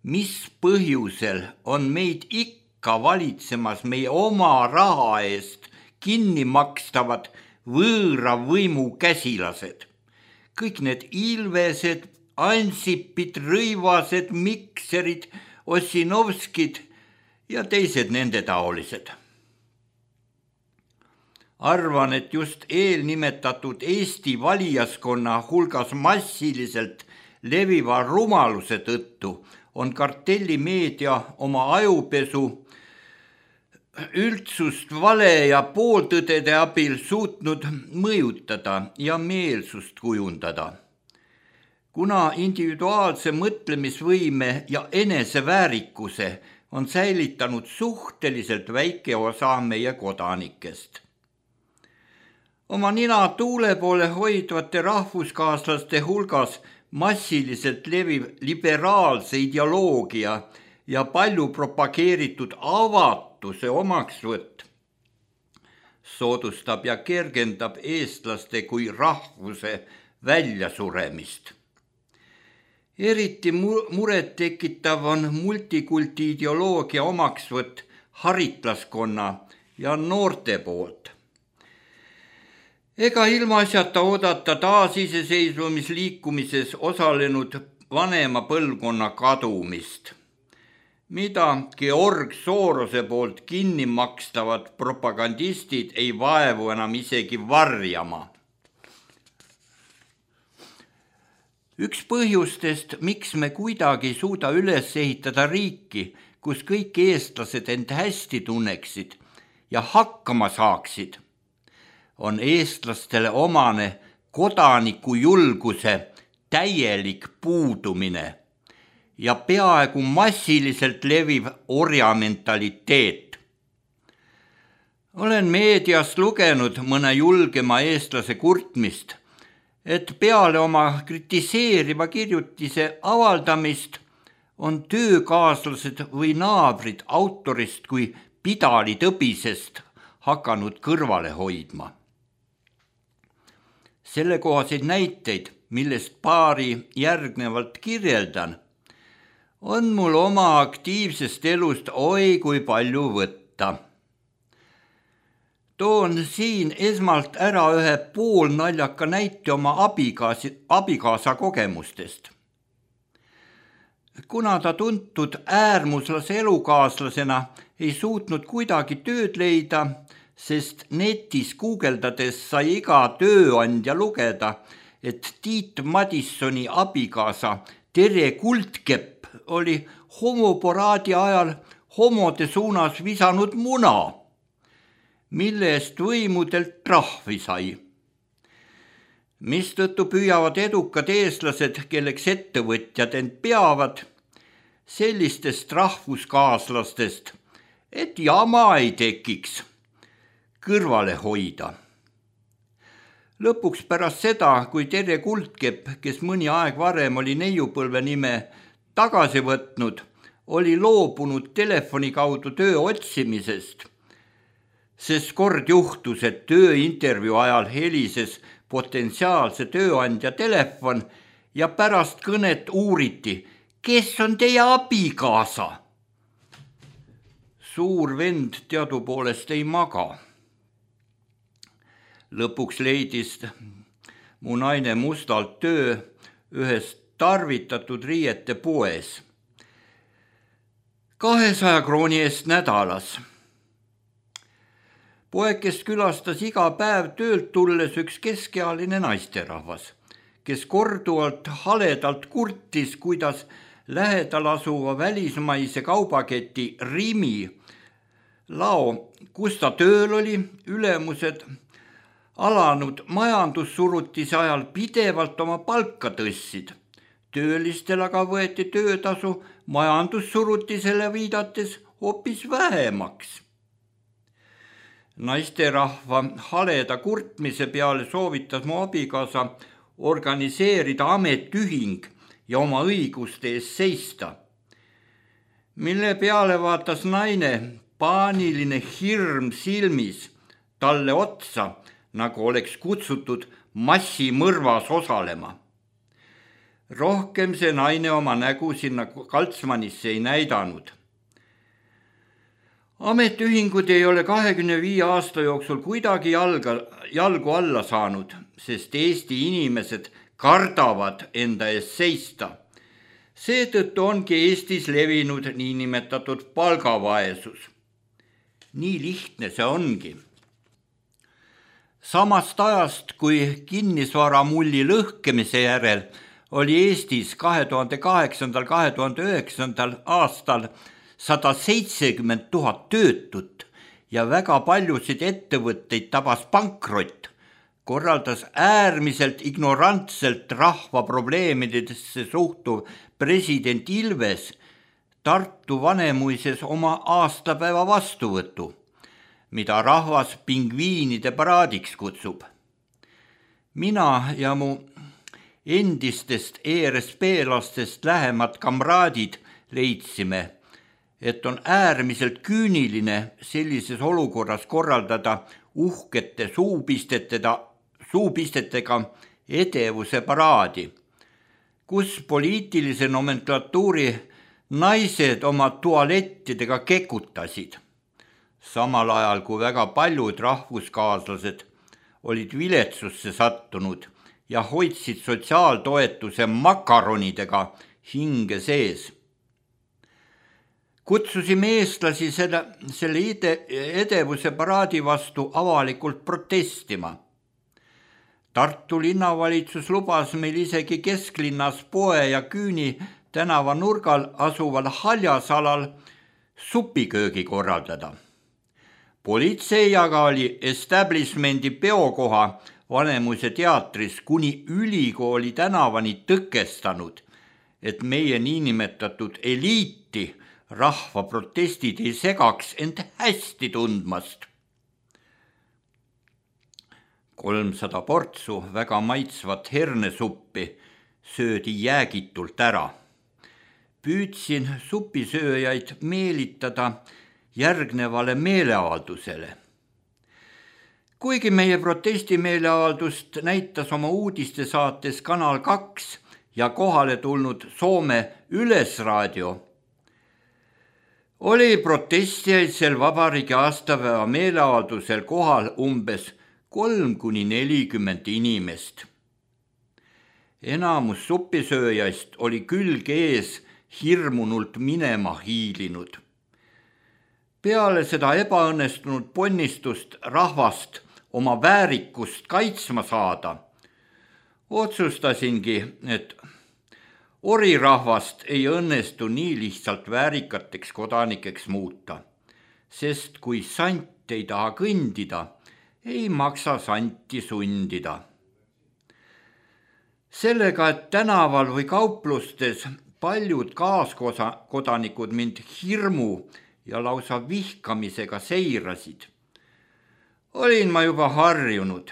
Mis põhjusel on meid ikka valitsemas meie oma raha eest kinni makstavad võõra võimu käsilased? Kõik need Ilvesed, Ansipid, Rõivased, Mikserid, Ossinovskid ja teised nende taolised. Arvan, et just eelnimetatud Eesti valijaskonna hulgas massiliselt leviva rumaluse tõttu on kartellimeedia oma ajupesu üldsust vale ja pooltõdede abil suutnud mõjutada ja meelsust kujundada. Kuna individuaalse mõtlemisvõime ja eneseväärikuse on säilitanud suhteliselt väike osa meie kodanikest. Oma nina tuule poole hoidvate rahvuskaaslaste hulgas massiliselt leviv liberaalse ideoloogia ja palju propageeritud avatuse omaksvõtt soodustab ja kergendab eestlaste kui rahvuse väljasuremist. Eriti muret tekitav on multikulti ideoloogia omaksvõtt haritlaskonna ja noorte poolt. Ega ilmaasjata oodata taasiseseisvumisliikumises osalenud vanema põlvkonna kadumist, mida Georg Sorose poolt kinni makstavad propagandistid ei vaevu enam isegi varjama. Üks põhjustest, miks me kuidagi ei suuda üles ehitada riiki, kus kõik eestlased end hästi tunneksid ja hakkama saaksid, on eestlastele omane kodanikujulguse täielik puudumine ja peaaegu massiliselt leviv orjamentaliteet. Olen meediast lugenud mõne julgema eestlase kurtmist, et peale oma kritiseeriva kirjutise avaldamist on töökaaslased või naabrid autorist kui pidalitõbisest hakanud kõrvale hoidma. Sellekohaseid näiteid, millest paari järgnevalt kirjeldan, on mul oma aktiivsest elust oi kui palju võtta. Toon siin esmalt ära ühe poolnaljaka näite oma abikaasa kogemustest. Kuna ta tuntud äärmuslase elukaaslasena ei suutnud kuidagi tööd leida, sest netis guugeldades sai iga tööandja lugeda, et Tiit Madissoni abikaasa Tere Kuldkepp oli homoporaadi ajal homode suunas visanud muna, mille eest võimudelt trahvi sai. Mistõttu püüavad edukad eestlased, kelleks ettevõtjad end peavad, sellistest rahvuskaaslastest, et jama ei tekiks, kõrvale hoida. Lõpuks pärast seda, kui Tere Kuldkepp, kes mõni aeg varem oli neiupõlve nime tagasi võtnud, oli loobunud telefoni kaudu töö otsimisest, sest kord juhtus, et tööintervjuu ajal helises potentsiaalse tööandja telefon ja pärast kõnet uuriti, kes on teie abikaasa? Suur vend teadupoolest ei maga. Lõpuks leidis mu naine mustalt töö ühes tarvitatud riiete poes 200 krooni eest nädalas. Poekest külastas iga päev töölt tulles üks keskealine naisterahvas, kes korduvalt haledalt kurtis, kuidas lähedal asuva välismaise kaubaketi Rimi lao, kus ta tööl oli, ülemused alanud majandussurutise ajal pidevalt oma palka tõssid. Töölistel aga võeti töötasu majandussurutisele viidates hoopis vähemaks. Naisterahva haleda kurtmise peale soovitas mu abikaasa organiseerida ametiühing ja oma õiguste eest seista, mille peale vaatas naine paaniline hirm silmis talle otsa, nagu oleks kutsutud massimõrvas osalema. Rohkem see naine oma nägu sinna Kaltsmanisse ei näidanud. Ametiühingud ei ole 25 aasta jooksul kuidagi jalgu alla saanud, sest Eesti inimesed kardavad enda eest seista. Seetõttu ongi Eestis levinud niinimetatud palgavaesus. Nii lihtne see ongi. Samast ajast, kui kinnisvaramulli lõhkemise järel oli Eestis 2008-2009 aastal 170 000 töötut ja väga paljusid ettevõtteid tabas pankrott, korraldas äärmiselt ignorantselt rahva probleemidesse suhtuv president Ilves Tartu Vanemuises oma aastapäeva vastuvõtu, mida rahvas pingviinide paraadiks kutsub. Mina ja mu endistest ERSP-lastest lähemad kamraadid leidsime, et on äärmiselt küüniline sellises olukorras korraldada uhkete suupistetega edevuse paraadi, kus poliitilise nomenklatuuri naised oma tualettidega kekutasid, samal ajal kui väga paljud rahvuskaaslased olid viletsusse sattunud ja hoidsid sotsiaaltoetuse makaronidega hinge sees. Kutsusime eestlasi selle edevuse paraadi vastu avalikult protestima. Tartu linnavalitsus lubas meil isegi kesklinnas Poe ja Küüni tänava nurgal asuval haljasalal supiköögi korraldada. Politsei aga oli establishmendi peokoha Vanemuise teatris kuni ülikooli tänavani tõkestanud, et meie niinimetatud eliiti rahva protestid ei segaks end hästi tundmast. 300 portsu väga maitsvat hernesuppi söödi jäägitult ära. Püüdsin supisööjaid meelitada järgnevale meeleavaldusele. Kuigi meie protestimeeleavaldust näitas oma uudistesaates Kanal 2 ja kohale tulnud Soome Ylesraadio, oli protestijaid sel vabariigi aastapäeva meeleavaldusel kohal umbes 3–40 inimest. Enamus supisööjaist oli külg ees hirmunult minema hiilinud. Peale seda ebaõnnestunud ponnistust rahvast oma väärikust kaitsma saada, otsustasingi, et orirahvast ei õnnestu nii lihtsalt väärikateks kodanikeks muuta, sest kui sant ei taha kõndida, ei maksa santi sundida. Sellega, et tänaval või kauplustes paljud kaaskodanikud mind hirmu ja lausa vihkamisega seirasid, olin ma juba harjunud.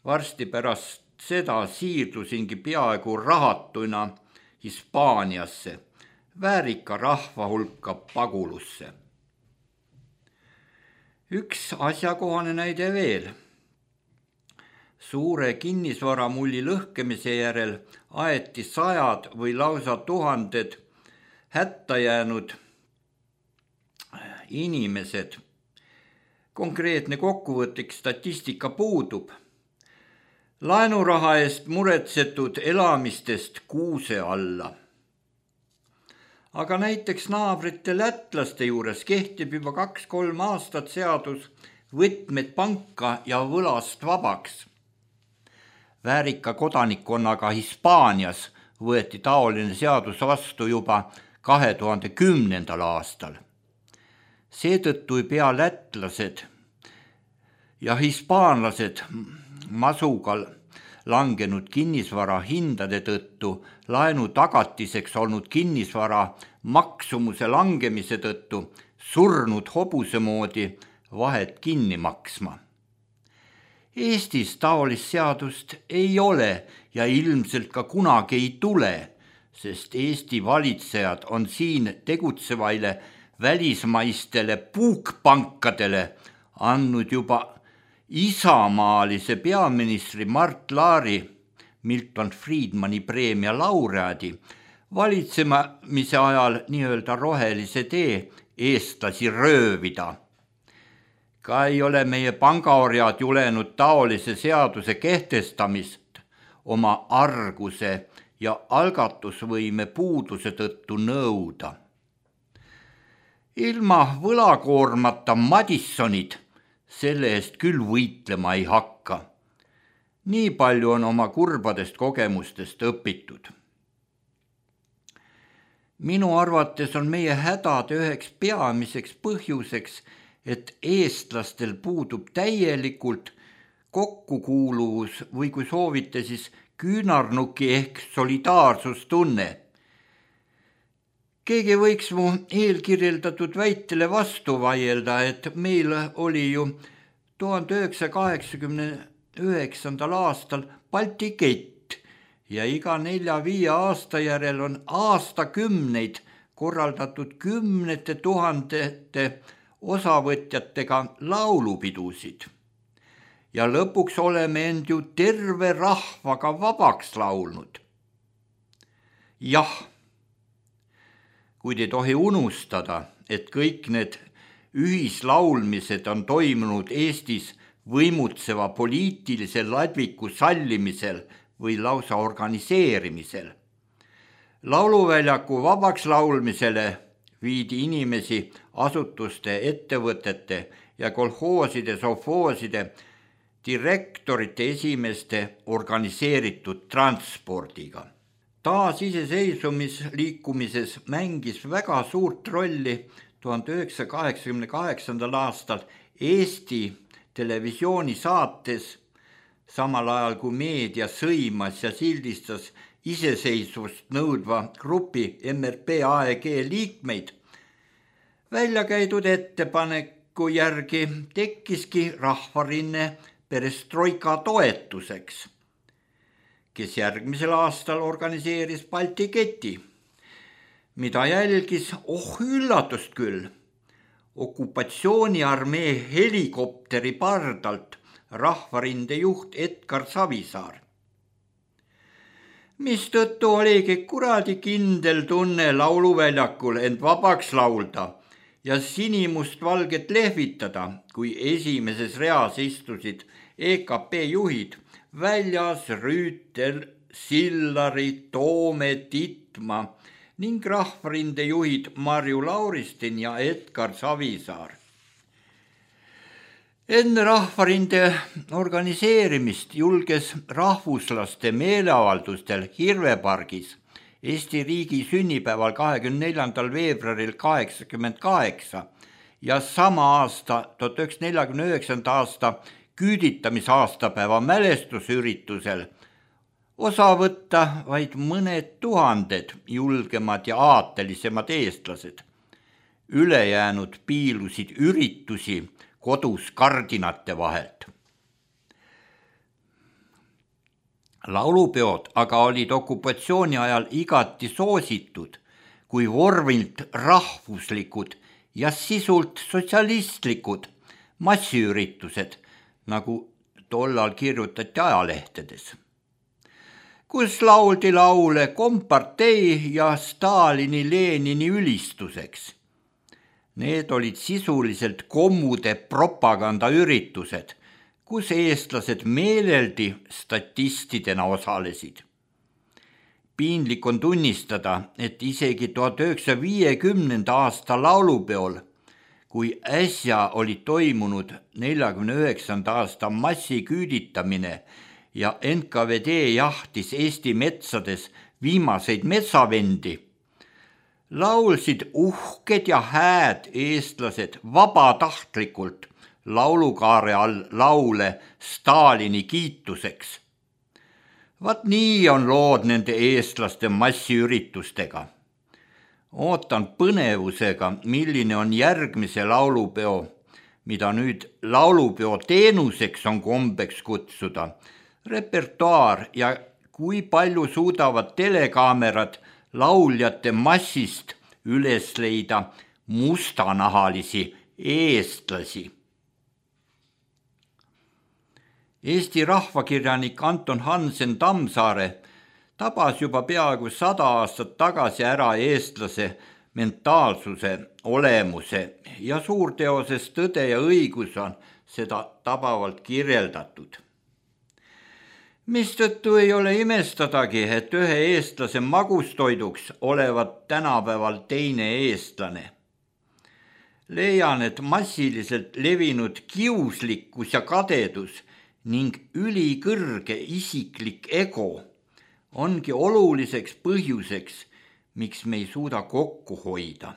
Varsti pärast seda siirdusingi peaaegu rahatuina Hispaaniasse, väärika rahva hulka pagulusse. Üks asjakohane näide veel. Suure kinnisvaramulli lõhkemise järel aeti 100 või lausa 1000 hätta jäänud inimesed. Konkreetne kokkuvõtlik statistika puudub. Laenuraha eest muretsetud elamistest kuuse alla. Aga näiteks naabrite lätlaste juures kehtib juba 2-3 aastat seadus võtmed panka ja võlast vabaks. Väärika kodanikkonnaga Hispaanias võeti taoline seadus vastu juba 2010. aastal. Seetõttu ei pea lätlased ja hispaanlased masugal langenud kinnisvara hindade tõttu laenu tagatiseks olnud kinnisvara maksumuse langemise tõttu surnud hobuse moodi vahet kinni maksma. Eestis taolist seadust ei ole ja ilmselt ka kunagi ei tule, sest Eesti valitsejad on siin tegutsevaile välismaistele puukpankadele andnud juba isamaalise peaministri Mart Laari, Milton Friedmani preemia laureaadi, valitsemise ajal nii-öelda rohelise tee eestlasi röövida. Ka ei ole meie pangaorjad julenud taolise seaduse kehtestamist oma arguse ja algatusvõime puuduse tõttu nõuda. Ilma võlakoormata Madissonid selle eest küll võitlema ei hakka. Nii palju on oma kurbadest kogemustest õpitud. Minu arvates on meie hädade üheks peamiseks põhjuseks, et eestlastel puudub täielikult kokkukuuluvus või kui soovite, siis küünarnuki ehk solidaarsustunne. Keegi võiks mu eelkirjeldatud väitele vastu vaielda, et meil oli ju 1989. aastal Balti kett ja iga 4-5 aasta järel on aastakümneid korraldatud 10 000 osavõtjatega laulupidusid. ja lõpuks oleme end ju terve rahvaga vabaks laulnud. Jah, kuid ei tohi unustada, et kõik need ühislaulmised on toimunud Eestis võimutseva poliitilise ladviku sallimisel või lausa organiseerimisel. Lauluväljaku vabaks laulmisele viidi inimesi asutuste, ettevõtete ja kolhooside, sovhooside, direktorite esimeeste organiseeritud transpordiga. Taasiseseisvumisliikumises mängis väga suurt rolli 1988. aastal Eesti televisioonisaates, samal ajal kui meedia sõimas ja sildistas iseseisvust nõudva grupi MRP AEG liikmeid, välja käidud ettepaneku järgi tekkiski rahvarinne perestroika toetuseks, kes järgmisel aastal organiseeris Balti keti, mida jälgis, üllatust küll, okupatsiooniarmee helikopteri pardalt rahvarinde juht Edgar Savisaar. Mistõttu oligi kuradi kindel tunne lauluväljakul end vabaks laulda ja sinimustvalget lehvitada, kui esimeses reas istusid EKP juhid Väljas, Rüütel, Sillari, Toome, Titma ning rahvarinde juhid Marju Lauristin ja Edgar Savisaar. Enne rahvarinde organiseerimist julges rahvuslaste meeleavaldustel Hirvepargis Eesti riigi sünnipäeval 24. veebruaril 1988 ja sama aasta 1949. aasta küüditamisaastapäeva mälestusüritusel osa võtta vaid mõned tuhanded julgemad ja aatelisemad eestlased. Ülejäänud piilusid üritusi kodus kardinate vahelt. Laulupeod aga olid okupatsiooni ajal igati soositud, kui vormilt rahvuslikud ja sisult sotsialistlikud massiüritused, nagu tollal kirjutati ajalehtedes, kus lauldi laule kompartei ja Stalini Lenini ülistuseks. Need olid sisuliselt kommude propagandaüritused, kus eestlased meeleldi statistidena osalesid. Piinlik on tunnistada, et isegi 1950. aasta laulupeol, kui äsja oli toimunud 49. aasta massiküüditamine ja NKVD jahtis Eesti metsades viimaseid metsavendi, laulsid uhked ja hääd eestlased vabatahtlikult laulukaare all laule Stalini kiituseks. Vaat nii on lood nende eestlaste massiüritustega. Ootan põnevusega, milline on järgmise laulupeo, mida nüüd laulupeo teenuseks on kombeks kutsuda, repertuaar ja kui palju suudavad telekaamerad lauljate massist üles leida mustanahalisi eestlasi. Eesti rahvakirjanik Anton Hansen Tammsaare tabas juba peaaegu 100 aastat tagasi ära eestlase mentaalsuse, olemuse ja suurteoses Tõde ja õigus on seda tabavalt kirjeldatud. Mistõttu ei ole imestadagi, et ühe eestlase magustoiduks olevat tänapäeval teine eestlane. Leian, et massiliselt levinud kiuslikkus ja kadedus ning ülikõrge isiklik ego ongi oluliseks põhjuseks, miks me ei suuda kokku hoida.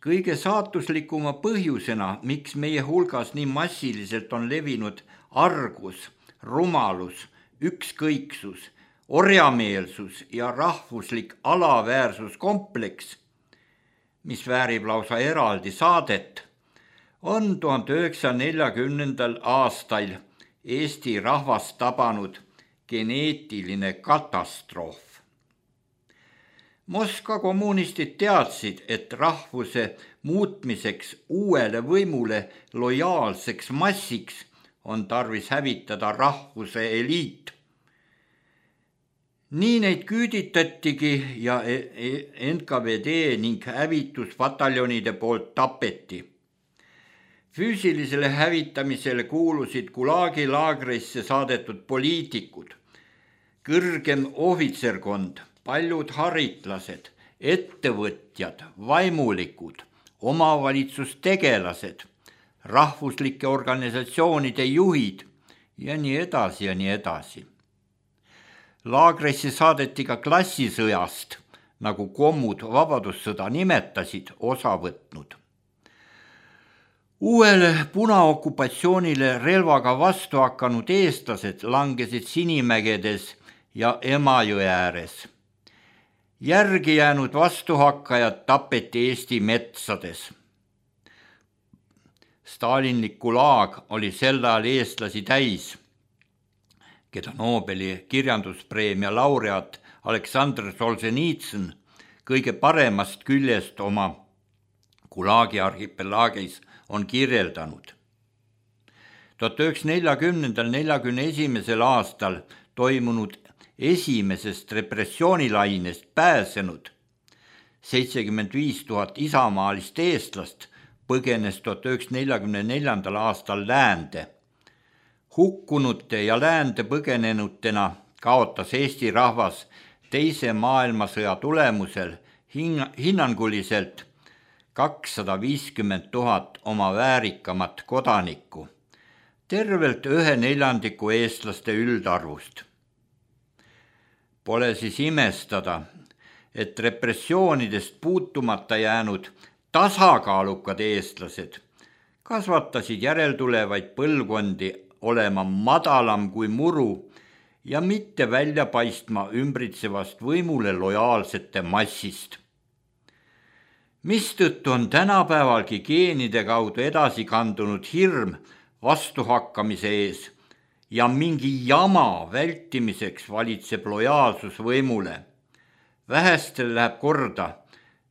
Kõige saatuslikuma põhjusena, miks meie hulgas nii massiliselt on levinud argus, rumalus, ükskõiksus, orjameelsus ja rahvuslik alaväärsuskompleks, mis väärib lausa eraldi saadet, on 1940. aastal Eesti rahvast tabanud geneetiline katastroof. Moskva kommunistid teadsid, et rahvuse muutmiseks uuele võimule lojaalseks massiks on tarvis hävitada rahvuse eliit. Nii neid küüditatigi ja NKVD ning hävituspataljonide poolt tapeti. Füüsilisele hävitamisele kuulusid Gulagi laagrisse saadetud poliitikud, kõrgem ohvitserkond, paljud haritlased, ettevõtjad, vaimulikud, omavalitsustegelased, rahvuslike organisatsioonide juhid ja nii edasi ja nii edasi. Laagrisse saadeti ka klassisõjast, nagu kommud vabadussõda nimetasid, osa võtnud. Uuele punaokupatsioonile relvaga vastu hakanud eestlased langesid Sinimägedes ja Emajõe ääres. Järgi jäänud vastuhakkajad tapeti Eesti metsades. Stalinlik Gulag oli sel ajal eestlasi täis, keda Nobeli kirjanduspreemia laureaat Aleksandr Solženitsõn kõige paremast küljest oma Gulagi arhipelaagis on kirjeldanud. 1940–41 aastal toimunud esimesest repressioonilainest pääsenud 75 000 isamaalist eestlast põgenes 1944. aastal läände. Hukkunute ja läände põgenenutena kaotas Eesti rahvas teise maailmasõja tulemusel hinnanguliselt 250 000 oma väärikamat kodanikku, tervelt 1/4 eestlaste üldarvust. Pole siis imestada, et repressioonidest puutumata jäänud tasakaalukad eestlased kasvatasid järeltulevaid põlvkondi olema madalam kui muru ja mitte välja paistma ümbritsevast võimule lojaalsete massist. Mistõttu on tänapäevalgi geenide kaudu edasi kandunud hirm vastuhakkamise ees ja mingi jama vältimiseks valitseb lojaalsus võimule. Vähestel läheb korda,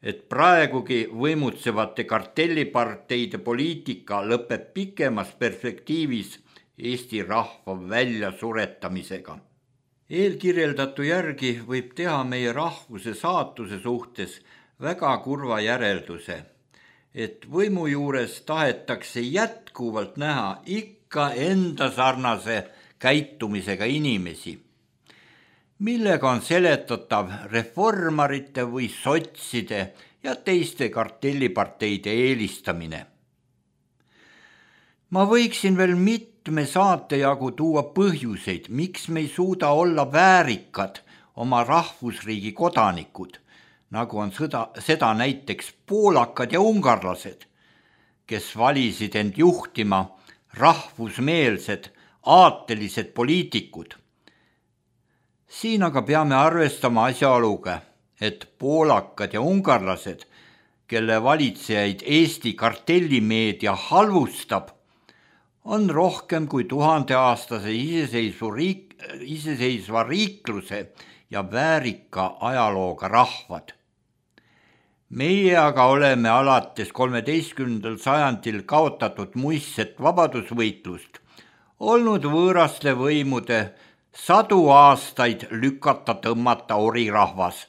et praegugi võimutsevate kartelliparteide poliitika lõpeb pikemas perspektiivis Eesti rahva väljasuretamisega. Eelkirjeldatu järgi võib teha meie rahvuse saatuse suhtes väga kurva järelduse, et võimu juures tahetakse jätkuvalt näha ikka enda sarnase käitumisega inimesi, millega on seletatav reformarite või sotside ja teiste kartelliparteide eelistamine. Ma võiksin veel mitme saate jagu tuua põhjuseid, miks me ei suuda olla väärikad oma rahvusriigi kodanikud, nagu on seda näiteks poolakad ja ungarlased, kes valisid end juhtima rahvusmeelsed, aatelised poliitikud. Siin aga peame arvestama asjaoluga, et poolakad ja ungarlased, kelle valitsejaid Eesti kartellimeedia halvustab, on rohkem kui 1000-aastase iseseisva riikluse ja väärika ajalooga rahvad. Meie aga oleme alates 13. sajandil kaotatud muistset vabadusvõitlust olnud võõraste võimude 100 aastaid lükata tõmmata orirahvas,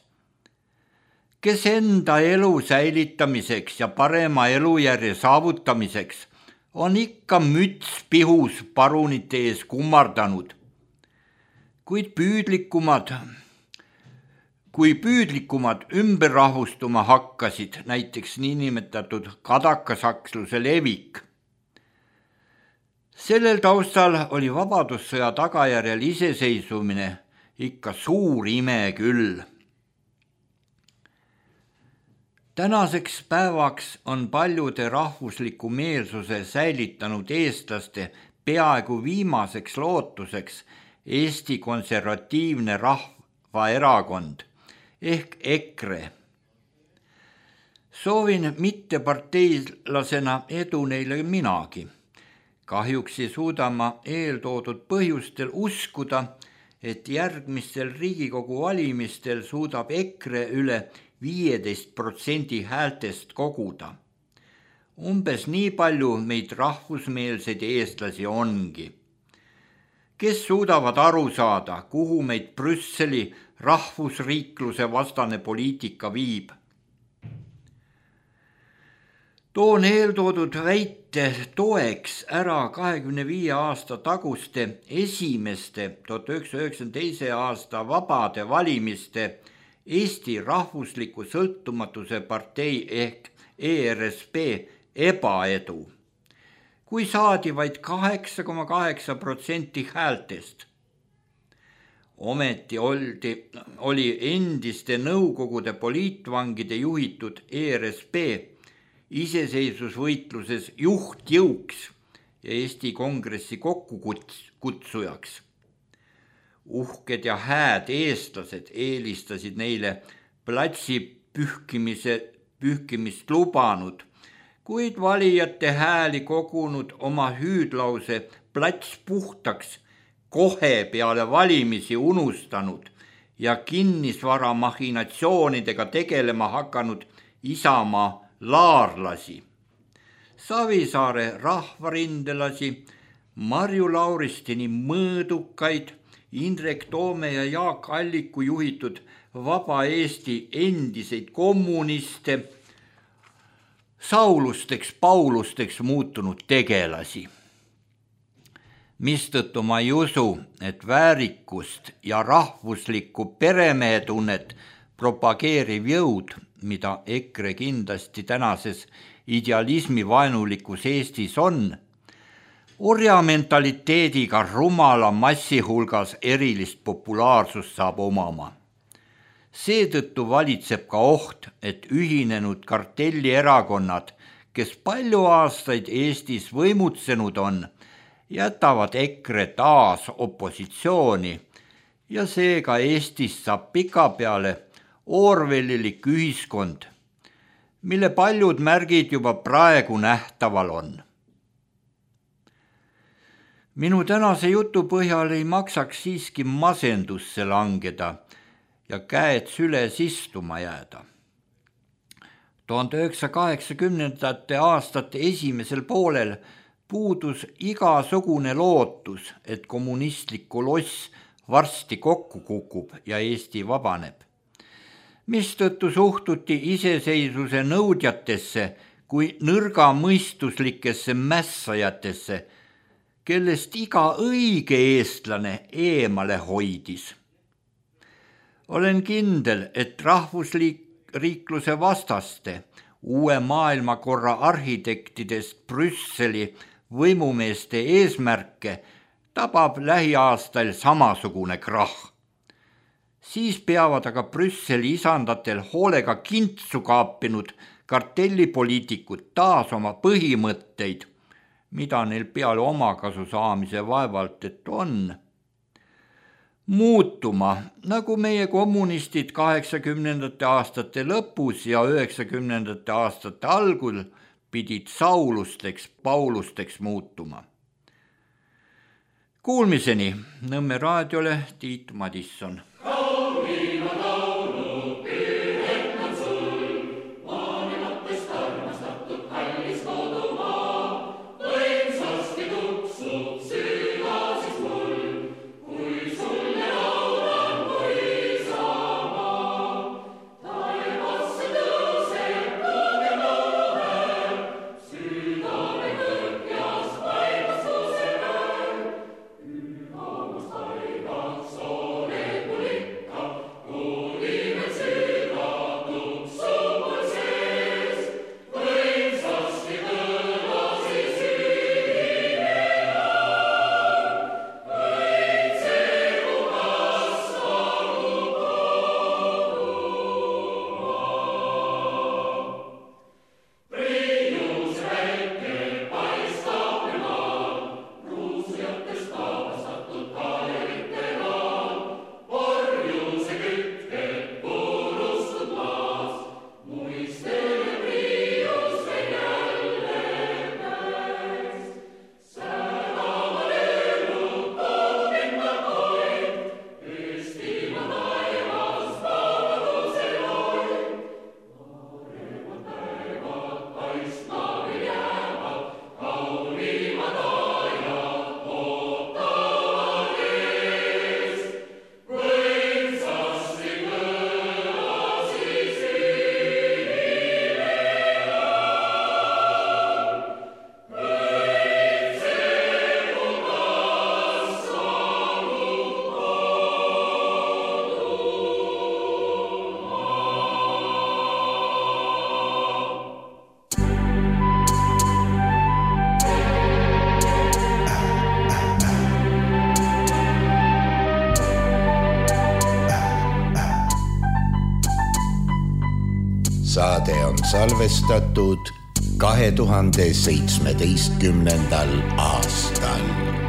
kes enda elu säilitamiseks ja parema elujärje saavutamiseks on ikka müts pihus parunite ees kummardanud, kuid püüdlikumad ümberrahvustuma hakkasid, näiteks niinimetatud kadakasaksluse levik. Sellel taustal oli vabadussõja tagajärjel iseseisvumine ikka suur ime küll. Tänaseks päevaks on paljude rahvusliku meelsuse säilitanud eestlaste peaaegu viimaseks lootuseks Eesti Konservatiivne Rahvaerakond ehk EKRE. Soovin mitteparteilasena edu neile minagi. Kahjuks ei suuda ma eeltoodud põhjustel uskuda, et järgmistel Riigikogu valimistel suudab EKRE üle 15% häältest koguda. Umbes nii palju meid rahvusmeelseid eestlasi ongi, kes suudavad aru saada, kuhu meid Brüsseli rahvusriikluse vastane poliitika viib. Toon eeltoodud väite toeks ära 25 aasta taguste esimeste 1992. aasta vabade valimiste Eesti Rahvusliku Sõltumatuse partei ehk ERSP ebaedu, kui saadi vaid 8,8% häältest. Ometi oli endiste Nõukogude poliitvangide juhitud ERSP iseseisvusvõitluses juhtjõuks ja Eesti Kongressi kokkukutsujaks. Uhked ja hääd eestlased eelistasid neile platsi pühkimist lubanud, kuid valijate hääli kogunud oma hüüdlause plats puhtaks kohe peale valimisi unustanud ja kinnisvara machinatsioonidega tegelema hakanud Isamaa laarlasi, Savisaare rahvarindelasi, Marju Lauristini mõõdukaid, Indrek Toome ja Jaak Alliku juhitud Vaba Eesti endiseid kommuniste, Saulusteks, Paulusteks muutunud tegelasi. Mistõttu ma ei usu, et väärikust ja rahvuslikku peremehetunnet propageeriv jõud, mida EKRE kindlasti tänases idealismi vaenulikus Eestis on, orjamentaliteediga rumala massi hulgas erilist populaarsust saab omama. Seetõttu valitseb ka oht, et ühinenud kartellierakonnad, kes palju aastaid Eestis võimutsenud on, jätavad EKRE taas opositsiooni ja seega Eestis saab pikapeale orwellilik ühiskond, mille paljud märgid juba praegu nähtaval on. Minu tänase jutu põhjal ei maksaks siiski masendusse langeda ja käed süles istuma jääda. 1980. aastate esimesel poolel puudus igasugune lootus, et kommunistlik koloss varsti kokku kukub ja Eesti vabaneb, mistõttu suhtuti iseseisvuse nõudjatesse kui nõrgamõistuslikesse mässajatesse, kellest iga õige eestlane eemale hoidis. Olen kindel, et rahvusriikluse vastaste, uue maailmakorra arhitektidest Brüsseli võimumeeste eesmärke tabab lähiaastal samasugune krahh. Siis peavad aga Brüsseli isandatel hoolega kintsu kaapinud kartellipoliitikud taas oma põhimõtteid, mida neil peale omakasu saamise vaevalt et on, muutuma, nagu meie kommunistid 80. aastate lõpus ja 90. aastate algul pidid Saulusteks, Paulusteks muutuma. Kuulmiseni Nõmme raadiole Tiit Madisson. Poliitika saade on salvestatud 2017. aastal.